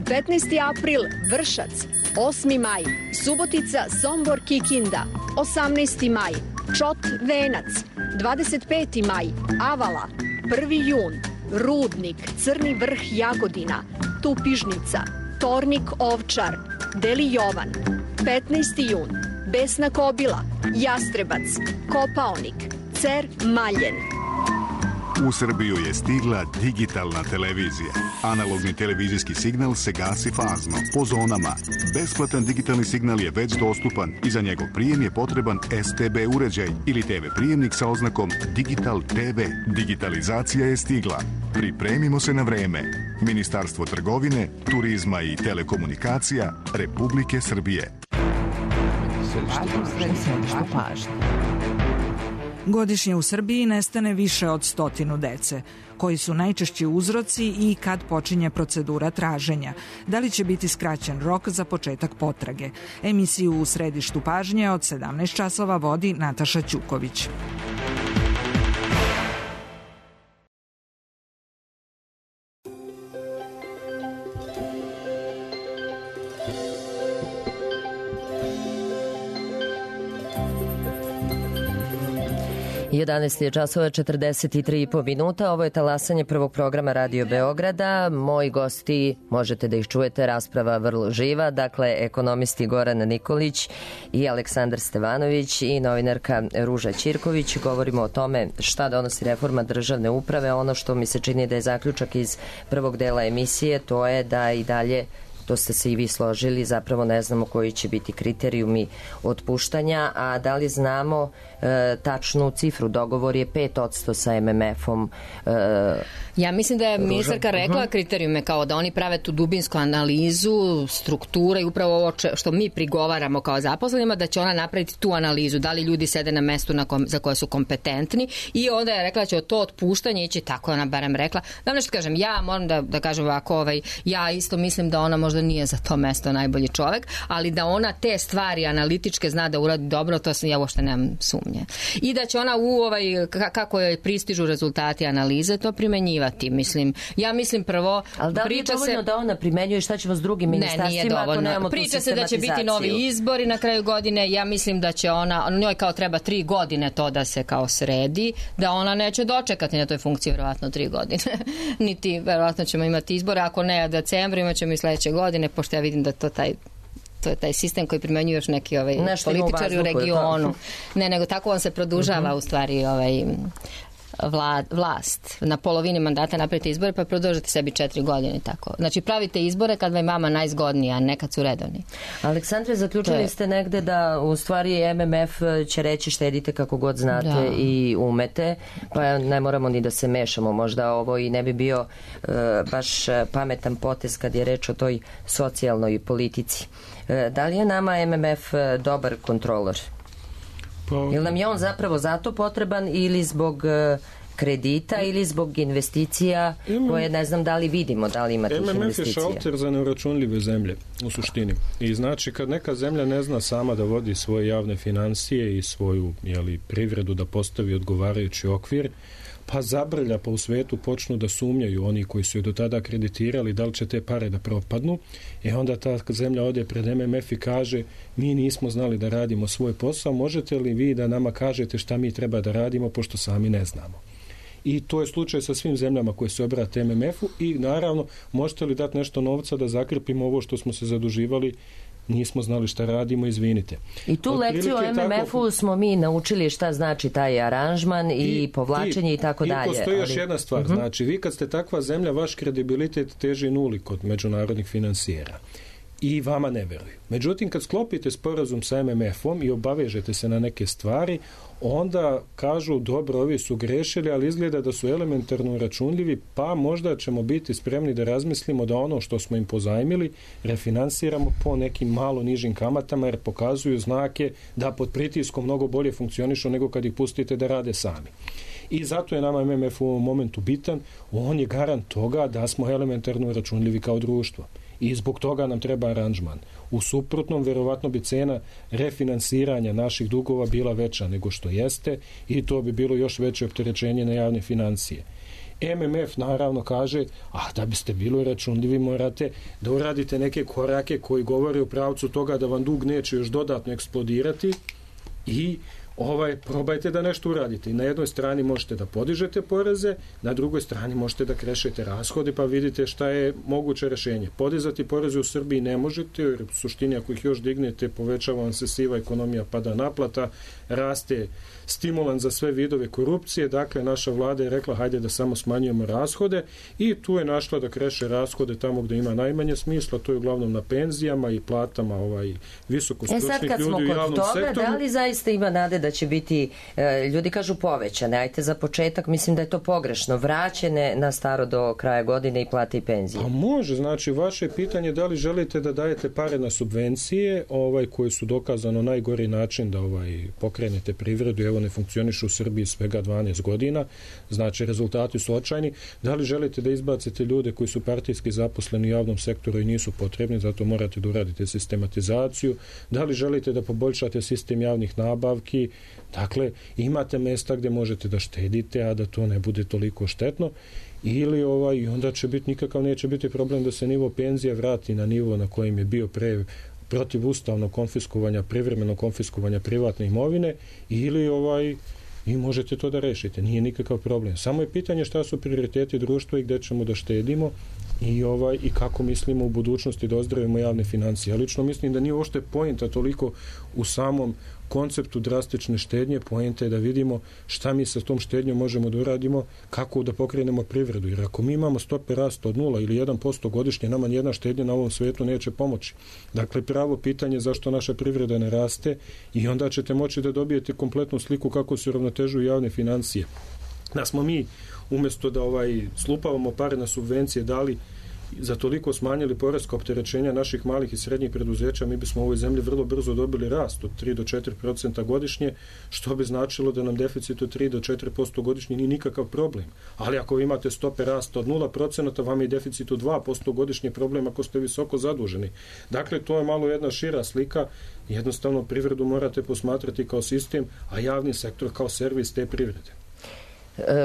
15. april Vršac, 8. maj Subotica, Sombor, Kikinda, 18. maj Čot, Venac, 25. maj Avala, 1. jun Rudnik, Crni vrh, Jagodina, Tupižnica, Tornik, Ovčar, Deli Jovan, 15. jun Besna Kobila, Jastrebac, Kopaonik, Cer, Maljen. U Srbiju je stigla digitalna televizija. Analogni televizijski signal se gasi fazno, po zonama. Besplatan digitalni signal je već dostupan i za njegov prijem je potreban STB uređaj ili TV prijemnik sa oznakom Digital TV. Digitalizacija je stigla. Pripremimo se na vreme. Ministarstvo trgovine, turizma i telekomunikacija Republike Srbije. Godišnje u Srbiji nestane više od 100 dece. Koji su najčešći uzroci i kad počinje procedura traženja? Da li će biti skraćen rok za početak potrage? Emisiju U središtu pažnje od 17 časova vodi Nataša Ćuković. 11 je časova 43,5 minuta. Ovo je talasanje prvog programa Radio Beograda. Moji gosti, možete da ih čujete, rasprava vrlo živa. Dakle, ekonomisti Goran Nikolić i Aleksandar Stevanović i novinarka Ruža Ćirković. Govorimo o tome šta donosi reforma državne uprave. Ono što mi se čini da je zaključak iz prvog dela emisije, to je da i dalje, to ste se i vi složili, zapravo ne znamo koji će biti kriterijumi otpuštanja, a da li znamo tačnu cifru? Dogovor je 5% sa MMF-om. Ja mislim da je ministarka rekla kriterijume, kao da oni prave tu dubinsku analizu strukture i upravo ovo što mi prigovaramo kao zaposlenima, da će ona napraviti tu analizu, da li ljudi sede na mestu za koje su kompetentni, i onda je rekla da će to otpuštanje ići, tako ona barem rekla. Da nešto kažem, ja moram da kažem ovako, ja isto mislim da ona možda nije za to mesto najbolji čovek, ali da ona te stvari analitičke zna da uradi dobro, to ja uopšte nemam sumnje. I da će ona kako joj pristižu rezultati analize, to primenjivati. Ja mislim prvo... Ali da li je dovoljno da ona primenjuje, šta će vas drugim ministarstvima ako nemamo tu sistematizaciju? Priča se da će biti novi izbori na kraju godine. Ja mislim da će njoj kao treba 3 godine to da se kao sredi, da ona neće dočekati na toj funkciji verovatno 3 godine. Niti verovatno ćemo imati izbore, ako ne u decembru, imat ćemo i sledeće godine, pošto ja vidim da to je taj sistem koji primenjuju još neki političari u regionu. Ne, nego tako on se produžava u stvari vlast. Na polovini mandata napravite izbore pa produžite sebi 4 godine. Tako. Znači pravite izbore kad vam je vama najzgodnija, a ne kad su redovni. Aleksandre, zaključili ste negde da u stvari MMF će reći štedite kako god znate i umete, pa ne moramo ni da se mešamo. Možda ovo i ne bi bio baš pametan potez kad je reč o toj socijalnoj politici. Da li je nama MMF dobar kontrolor? Ili nam je on zapravo zato potreban ili zbog kredita ili zbog investicija koje ne znam da li vidimo, da li ima tih investicija? MMF je šalter za neuračunljive zemlje u suštini. I znači kad neka zemlja ne zna sama da vodi svoje javne financije i svoju privredu da postavi odgovarajući okvir, pa zabrlja, pa u svetu počnu da sumnjaju oni koji su je do tada kreditirali da li će te pare da propadnu, i onda ta zemlja ode pred MMF i kaže mi nismo znali da radimo svoj posao, možete li vi da nama kažete šta mi treba da radimo pošto sami ne znamo. I to je slučaj sa svim zemljama koje se obrate MMF-u, i naravno možete li dati nešto novca da zakrpimo ovo što smo se zaduživali, nismo znali šta radimo, izvinite. I tu lekciju o MMF-u smo mi naučili šta znači taj aranžman i povlačenje i tako dalje. I postoji još jedna stvar, znači vi kad ste takva zemlja, vaš kredibilitet teži nuli kod međunarodnih finansijera i vama ne veruju. Međutim, kad sklopite sporazum sa MMF-om i obavežete se na neke stvari, onda kažu dobro, ovi su grešili, ali izgleda da su elementarno računljivi, pa možda ćemo biti spremni da razmislimo da ono što smo im pozajmili refinansiramo po nekim malo nižim kamatama, jer pokazuju znake da pod pritiskom mnogo bolje funkcionišu nego kad ih pustite da rade sami. I zato je nama MMF u ovom momentu bitan, on je garant toga da smo elementarno računljivi kao društvo. I zbog toga nam treba aranžman. U suprotnom, verovatno bi cena refinansiranja naših dugova bila veća nego što jeste, i to bi bilo još veće opterećenje na javne financije. MMF naravno kaže, da biste bili računljivi morate da uradite neke korake koji govore u pravcu toga da vam dug neće još dodatno eksplodirati, i probajte da nešto uradite. I na jednoj strani možete da podižete poreze, na drugoj strani možete da krešete rashode, pa vidite šta je moguće rešenje. Podizati poreze u Srbiji ne možete, jer u suštini ako ih još dignete, povećava vam se siva ekonomija, pada naplata, raste stimulans za sve vidove korupcije. Dakle, naša vlada je rekla hajde da samo smanjujemo rashode, i tu je našla da kreše rashode tamo gde ima najmanje smisla, to je uglavnom na penzijama i platama visokostručnih ljudi u javnom sektoru. Da li zaista ima nade da će biti, ljudi kažu povećane, ajte za početak, mislim da je to pogrešno, vraćene na staro do kraja godine i plate i penzije? Pa može, znači vaše pitanje da li želite da dajete pare na subvencije, koji su dokazano najgori način da pokrenete privredu, evo ne funkcionišu u Srbiji svega 12 godina, znači rezultati su očajni. Da li želite da izbacite ljude koji su partijski zaposleni u javnom sektoru i nisu potrebni, zato morate da uradite sistematizaciju. Da li želite da poboljšate sistem javnih nabavki? Dakle, imate mesta gde možete da štedite, a da to ne bude toliko štetno. Ili onda će biti, nikakav neće biti problem da se nivo penzija vrati na nivo na kojem je bio pre protivustavnog konfiskovanja, privremeno konfiskovanja privatne imovine, ili vi možete to da rešite, nije nikakav problem. Samo je pitanje šta su prioriteti društva i gde ćemo da štedimo i kako mislimo u budućnosti da ozdravimo javne financije. Ja lično mislim da nije uopšte poenta toliko u samom konceptu drastične štednje, poenta je da vidimo šta mi sa tom štednjom možemo da uradimo, kako da pokrenemo privredu. Jer ako mi imamo stope rasta od 0 ili 1% godišnje, nama nijedna štednja na ovom svetu neće pomoći. Dakle, pravo pitanje je zašto naša privreda ne raste i onda ćete moći da dobijete kompletnu sliku kako se uravnotežuju javne financije. Da smo mi, umjesto da slupavamo pare na subvencije, dali za toliko smanjili poreska opterećenja naših malih i srednjih preduzeća, mi bismo u ovoj zemlji vrlo brzo dobili rast od 3 do 4% godišnje, što bi značilo da nam deficit od 3 do 4% godišnje nije nikakav problem. Ali ako vi imate stope rasta od 0%, vam je deficit od 2% godišnje problem ako ste visoko zaduženi. Dakle, to je malo jedna šira slika. Jednostavno, privredu morate posmatrati kao sistem, a javni sektor kao servis te privrede.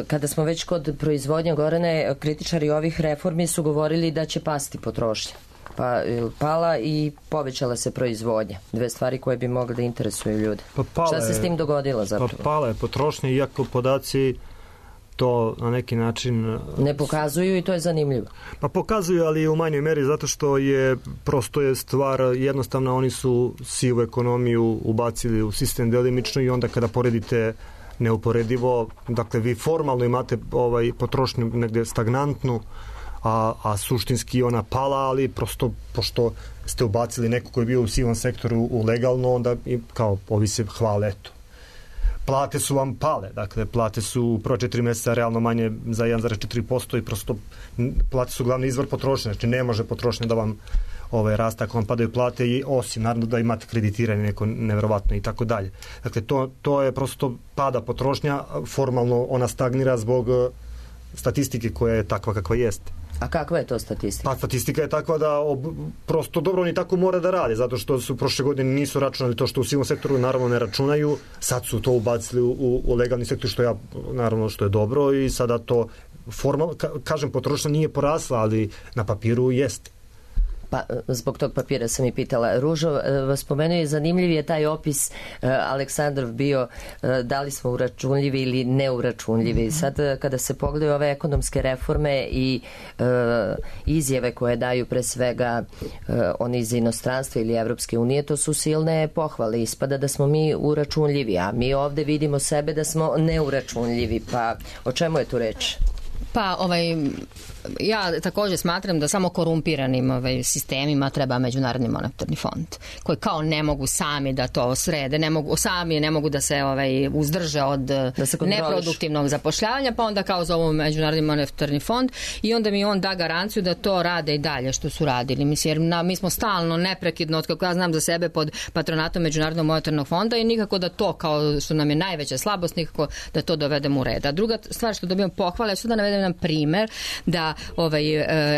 Kada smo već kod proizvodnje, Gorane, kritičari ovih reformi su govorili da će pasti potrošnja. Pa pala i povećala se proizvodnja. Dve stvari koje bi mogle da interesuju ljude. Šta se s tim dogodilo zapravo? Pa pala je potrošnja, iako podaci to na neki način ne pokazuju i to je zanimljivo. Pa pokazuju, ali u manjoj meri, zato što prosto je stvar jednostavno, oni su sivu ekonomiju ubacili u sistem delimično i onda kada poredite neuporedivo, dakle vi formalno imate potrošnju negde stagnantnu, a suštinski ona pala, ali prosto pošto ste ubacili neko koji je bio u sivom sektoru u legalno, onda kao ovi se hvale, eto. Plate su vam pale, dakle plate su u prva 4 mjeseca realno manje za 1,4% i prosto plate su glavni izvor potrošnje, znači ne može potrošnja da vam rasta ako vam padaju plate, i osim naravno da imate kreditiranje neko neverovatno i tako dalje. Dakle, to je prosto pada potrošnja, formalno ona stagnira zbog statistike koja je takva kakva jeste. A kakva je to statistika? Pa statistika je takva da prosto dobro oni tako mora da rade, zato što su prošle godine nisu računali to što u sivom sektoru naravno ne računaju, sad su to ubacili u legalni sektor, što naravno što je dobro, i sada to formalno, kažem, potrošnja nije porasla, ali na papiru jeste. Pa, zbog tog papira sam i pitala. Ružo, vas spomenuo je, zanimljiv je taj opis Aleksandrov bio, da li smo uračunljivi ili neuračunljivi. Sad, kada se pogledaju ove ekonomske reforme i izjave koje daju pre svega oni iz inostranstva ili Evropske unije, to su silne pohvale. Ispada da smo mi uračunljivi, a mi ovde vidimo sebe da smo neuračunljivi. Pa, o čemu je tu reč? Pa, ja također smatram da samo korumpiranim sistemima treba Međunarodni monetarni fond, koji kao ne mogu sami da to srede, ne mogu da se uzdrže od neproduktivnog zapošljavanja, pa onda kao zovu Međunarodni monetarni fond i onda mi on da garanciju da to rade i dalje što su radili. Mislim, jer mi smo stalno neprekidno, od kako ja znam za sebe, pod patronatom Međunarodnog monetarnog fonda i nikako da to, kao što nam je najveća slabost, nikako da to dovedemo u red. A druga stvar što dobijam pohvale, su da navedem nam primer da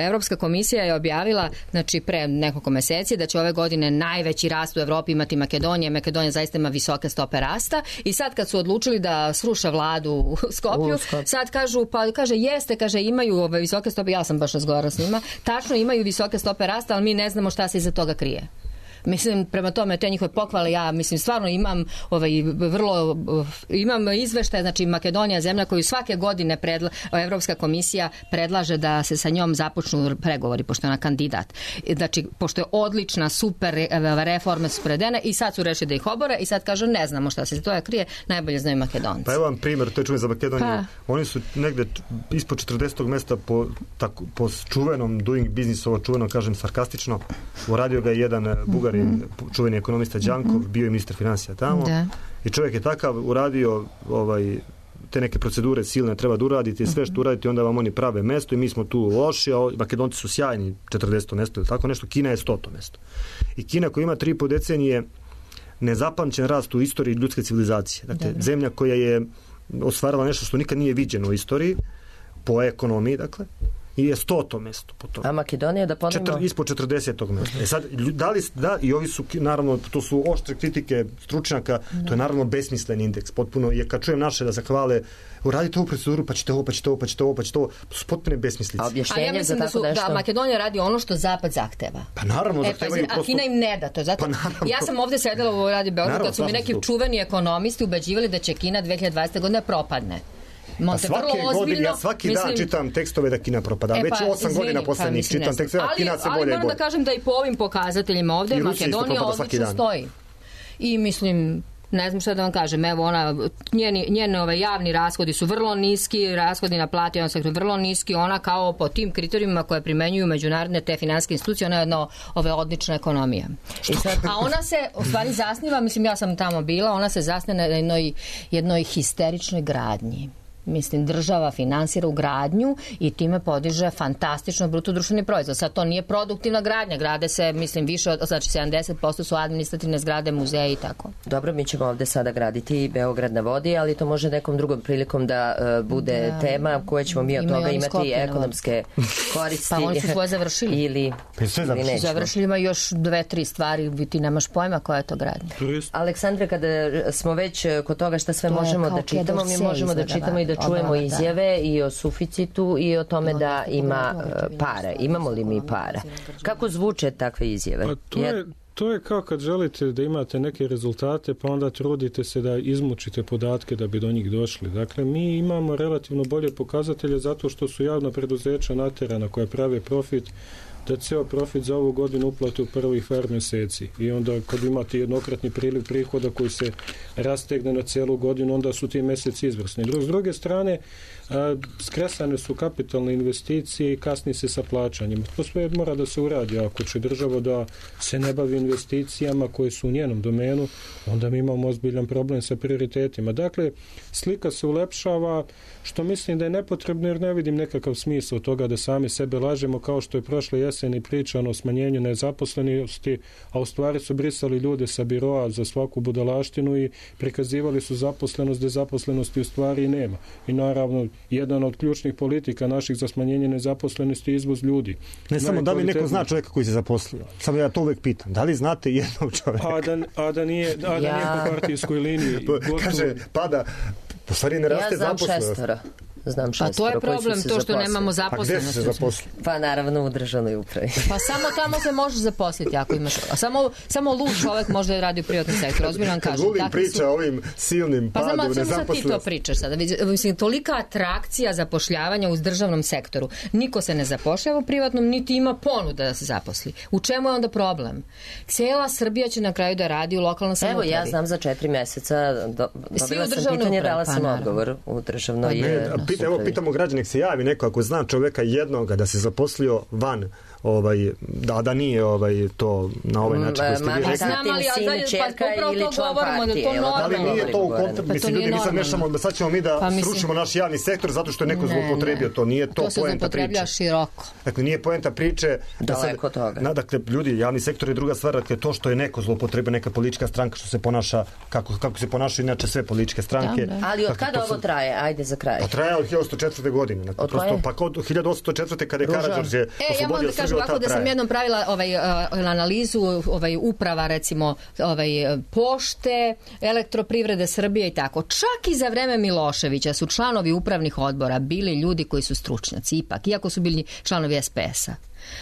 Evropska komisija je objavila, znači pre nekoliko meseci, da će ove godine najveći rast u Evropi imati Makedonija. Makedonija zaista ima visoke stope rasta i sad kad su odlučili da sruše vladu u Skopju, sad kaže imaju visoke stope, ja sam baš razgovarala s njima, tačno imaju visoke stope rasta, ali mi ne znamo šta se iza toga krije. Mislim, prema tome, te njihove pohvale, ja mislim, stvarno imam imam izveštaj, znači Makedonija, zemlja koju svake godine Evropska komisija predlaže da se sa njom započnu pregovori, pošto je ona kandidat. Znači, pošto je odlična, super reforme su predene i sad su rešili da ih obore i sad kažu, ne znamo šta se to krije, najbolje znaju Makedonci. Pa evo vam primjer, to je čuven za Makedoniju. Oni su negde ispod 40. mesta po čuvenom doing business, ovo čuveno, kažem sarkastično, uradio ga jedan Bugar, čuveni ekonomista Đankov, bio je ministar financija tamo, i čovjek je takav uradio te neke procedure silne treba da uradite i sve što uradite, onda vam oni prave mesto i mi smo tu loši, a Makedonci su sjajni, 40. mesto ili tako nešto, Kina je 100. mesto. I Kina koja ima 3,5 decenije nezapamćen rast u istoriji ljudske civilizacije. Dakle, zemlja koja je ostvarila nešto što nikad nije viđeno u istoriji, po ekonomiji, dakle, i je 100. mesto po tome. A Makedonija, da ponovimo? Ispod 40. mesta. Sad, i ovi su, naravno, to su oštre kritike stručnjaka, to je naravno besmislen indeks, potpuno, jer kad čujem naše da se hvale, uradite ovu proceduru, pa ćete ovo, to su potpune besmislice. A ja mislim da Makedonija radi ono što Zapad zahteva. Pa naravno, zahtevaju prosto... A Kina im ne da to. Zato, ja sam ovdje sedela u Radi Beograd kad su mi neki čuveni ekonomisti ubeđivali da će Kina 2020. godine propadne. Svaki dan čitam tekstove da Kina propada. Već 8 godina poslednjih čitam tekstove da Kina se bolje i bolje. Ali moram da kažem da i po ovim pokazateljima ovde Makedonija odlično stoji. I mislim, ne znam šta da vam kažem, evo njene javni rashodi su vrlo niski, rashodi na plati vrlo niski, ona kao po tim kriterijima koje primenjuju međunarodne te finansijske institucije, ona je jedna odlična ekonomija. A ona se u stvari zasniva, mislim ja sam tamo bila, ona se zasniva na jednoj histeričnoj gradnji. Mislim, država finansira u gradnju i time podiže fantastično bruto društveni proizvod. Sad to nije produktivna gradnja, grade se, mislim, više od, znači 70% su administrativne zgrade, muzeje i tako. Dobro, mi ćemo ovde sada graditi Beograd na vodi, ali to može nekom drugom prilikom da bude tema koje ćemo mi od toga imati ekonomske koristi. Pa oni su svoje završili. Ili završili, ima još 2-3 stvari, ti nemaš pojma koja je to gradnja. Aleksandre, kada smo već kod toga šta sve možemo da čitamo, mi možemo da čitamo i da čujemo izjave i o suficitu i o tome da ima para. Imamo li mi para? Kako zvuče takve izjave? Pa to je kao kad želite da imate neke rezultate, pa onda trudite se da izmučite podatke da bi do njih došli. Dakle, mi imamo relativno bolje pokazatelje zato što su javna preduzeća naterana koja prave profit, da ceo profit za ovu godinu uplate u prvih par mjeseci. I onda kad imate jednokratni priliv prihoda koji se rastegne na celu godinu, onda su ti mjeseci izvrsni. S druge strane, skresane su kapitalne investicije i kasni se sa plaćanjem. To sve mora da se uradi. Ako će država da se ne bavi investicijama koje su u njenom domenu, onda mi imamo ozbiljan problem sa prioritetima. Dakle, slika se ulepšava, što mislim da je nepotrebno jer ne vidim nekakav smisao toga da sami sebe lažemo kao što je prošle jeseni pričano o smanjenju nezaposlenosti, a u stvari su brisali ljude sa biroa za svaku budalaštinu i prikazivali su zaposlenost gde zaposlenosti u stvari nema. I naravno, jedan od ključnih politika naših za smanjenje nezaposlenosti je izvoz ljudi. Ne samo da li neko zna čovjeka koji se zaposlio. Samo ja to uvek pitam. Da li znate jednog čovjeka? A da nije po partijskoj liniji. Kaže, pada, po stvari ne raste zaposlenost. Znam pa to je problem, to što nemamo zaposlenosti. A gde su se zaposlili? Pa naravno u državnoj upravi. Pa samo tamo se možeš zaposliti ako imaš. Samo lud čovjek može da radi u privatnom sektoru. Ozbiljno vam kažem. Vulin priča o ovim silnim padu nezaposlenosti. Pa samo ti to pričaš sada. Mislim, tolika atrakcija zapošljavanja u državnom sektoru. Niko se ne zapošljava u privatnom, niti ima ponuda da se zaposli. U čemu je onda problem? Cijela Srbija će na kraju da radi u lokalnom samoupravi. Evo, ja znam za 4 mjeseca dobila sam pitanje, dala sam odgovor u državnoj. Evo, pitamo građanek se javi neko ako zna čoveka jednoga da se zaposlio van da nije to na ovaj način koji ste vi rekli. Sin, čerka ili član partije. Ali nije to u kontekstu, mislim, ljudi, mi sad mešamo, sad ćemo mi da srušimo naš javni sektor zato što je neko zloupotrebio to. Nije to poenta priče. To se zloupotreblja široko. Dakle, nije poenta priče. Daleko toga. Dakle, ljudi, javni sektor je druga stvar, dakle, to što je neko zloupotrebio, neka politička stranka što se ponaša, kako se ponašaju inače sve političke stranke. Ali od kada ovo traje? Ajde za kraj. Pa traje od 1804. godine. Od koje? Pa od 1804. kada je Karađorđe oslobodio Srbiju. Ovako da sam jednom pravila analizu uprava recimo pošte, elektroprivrede Srbije i tako. Čak i za vreme Miloševića su članovi upravnih odbora bili ljudi koji su stručnjaci ipak, iako su bili članovi SPS-a.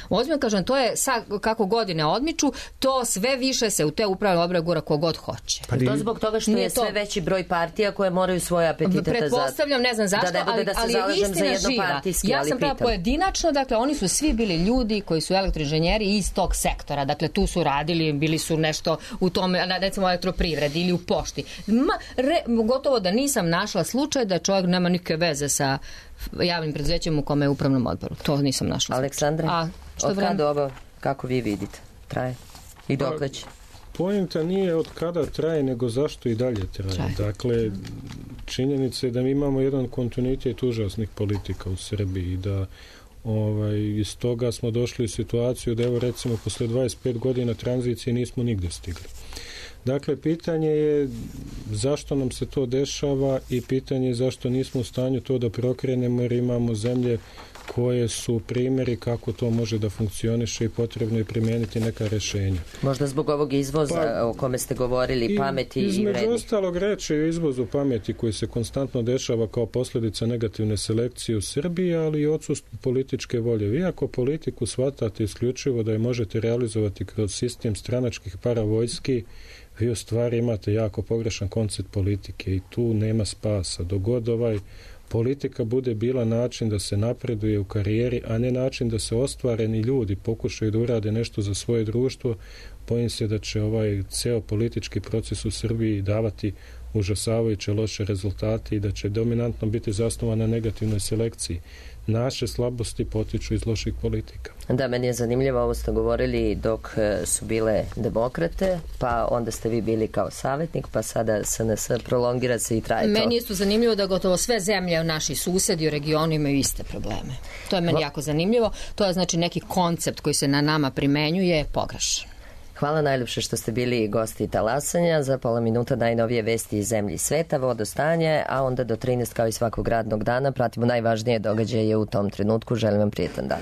Ozbiljno kažem, to je kako godine odmiču, to sve više se u te upravne odbore gura kogod hoće. Pa to zbog toga što je sve veći broj partija koje moraju svoje apetite pretpostavljam, ne znam zašto, ali je istina živa. Ja sam prava pojedinačno, dakle, oni su svi bili ljudi koji su elektroinženjeri iz tog sektora, dakle, tu su radili, bili su nešto u tome, recimo elektroprivredi ili u pošti. Gotovo da nisam našla slučaj da čovjek nema nikakve veze sa javnim preduzećem u kome je upravnom odboru. To nisam našla. Aleksandra, od kada ovo, kako vi vidite, traje? I dokle će? Poenta nije od kada traje, nego zašto i dalje traje. Dakle, činjenica je da mi imamo jedan kontinuitet užasnih politika u Srbiji i da iz toga smo došli u situaciju da evo recimo posle 25 godina tranzicije nismo nigde stigli. Dakle, pitanje je zašto nam se to dešava i pitanje je zašto nismo u stanju to da prokrenemo jer imamo zemlje koje su primjeri kako to može da funkcioniše i potrebno je primijeniti neka rješenja. Možda zbog ovog izvoza o kome ste govorili, pameti i vrednih. Između ostalog reći o izvozu pameti koji se konstantno dešava kao posljedica negativne selekcije u Srbiji, ali i odsustvu političke volje. Vi ako politiku shvatate isključivo da je možete realizovati kroz sistem stranačkih paravojski, vi u stvari imate jako pogrešan koncept politike i tu nema spasa. Dogod politika bude bila način da se napreduje u karijeri, a ne način da se ostvareni ljudi pokušaju da urade nešto za svoje društvo, bojim se da će ceo politički proces u Srbiji davati užasavajuće loše rezultate i da će dominantno biti zasnovan na negativnoj selekciji. Naše slabosti potiču iz loših politika. Da, meni je zanimljivo, ovo ste govorili dok su bile demokrate, pa onda ste vi bili kao savjetnik, pa sada SNS prolongira se i traje to. Meni je isto zanimljivo da gotovo sve zemlje, naši susedi u regionu imaju iste probleme. To je meni jako zanimljivo. To je znači neki koncept koji se na nama primenjuje pogrešan. Hvala najljepše što ste bili gosti Talasanja. Za pola minuta najnovije vesti iz zemlji i sveta, vodostanje, a onda do 13 kao i svakog radnog dana pratimo najvažnije događaje u tom trenutku. Želim vam prijetan dan.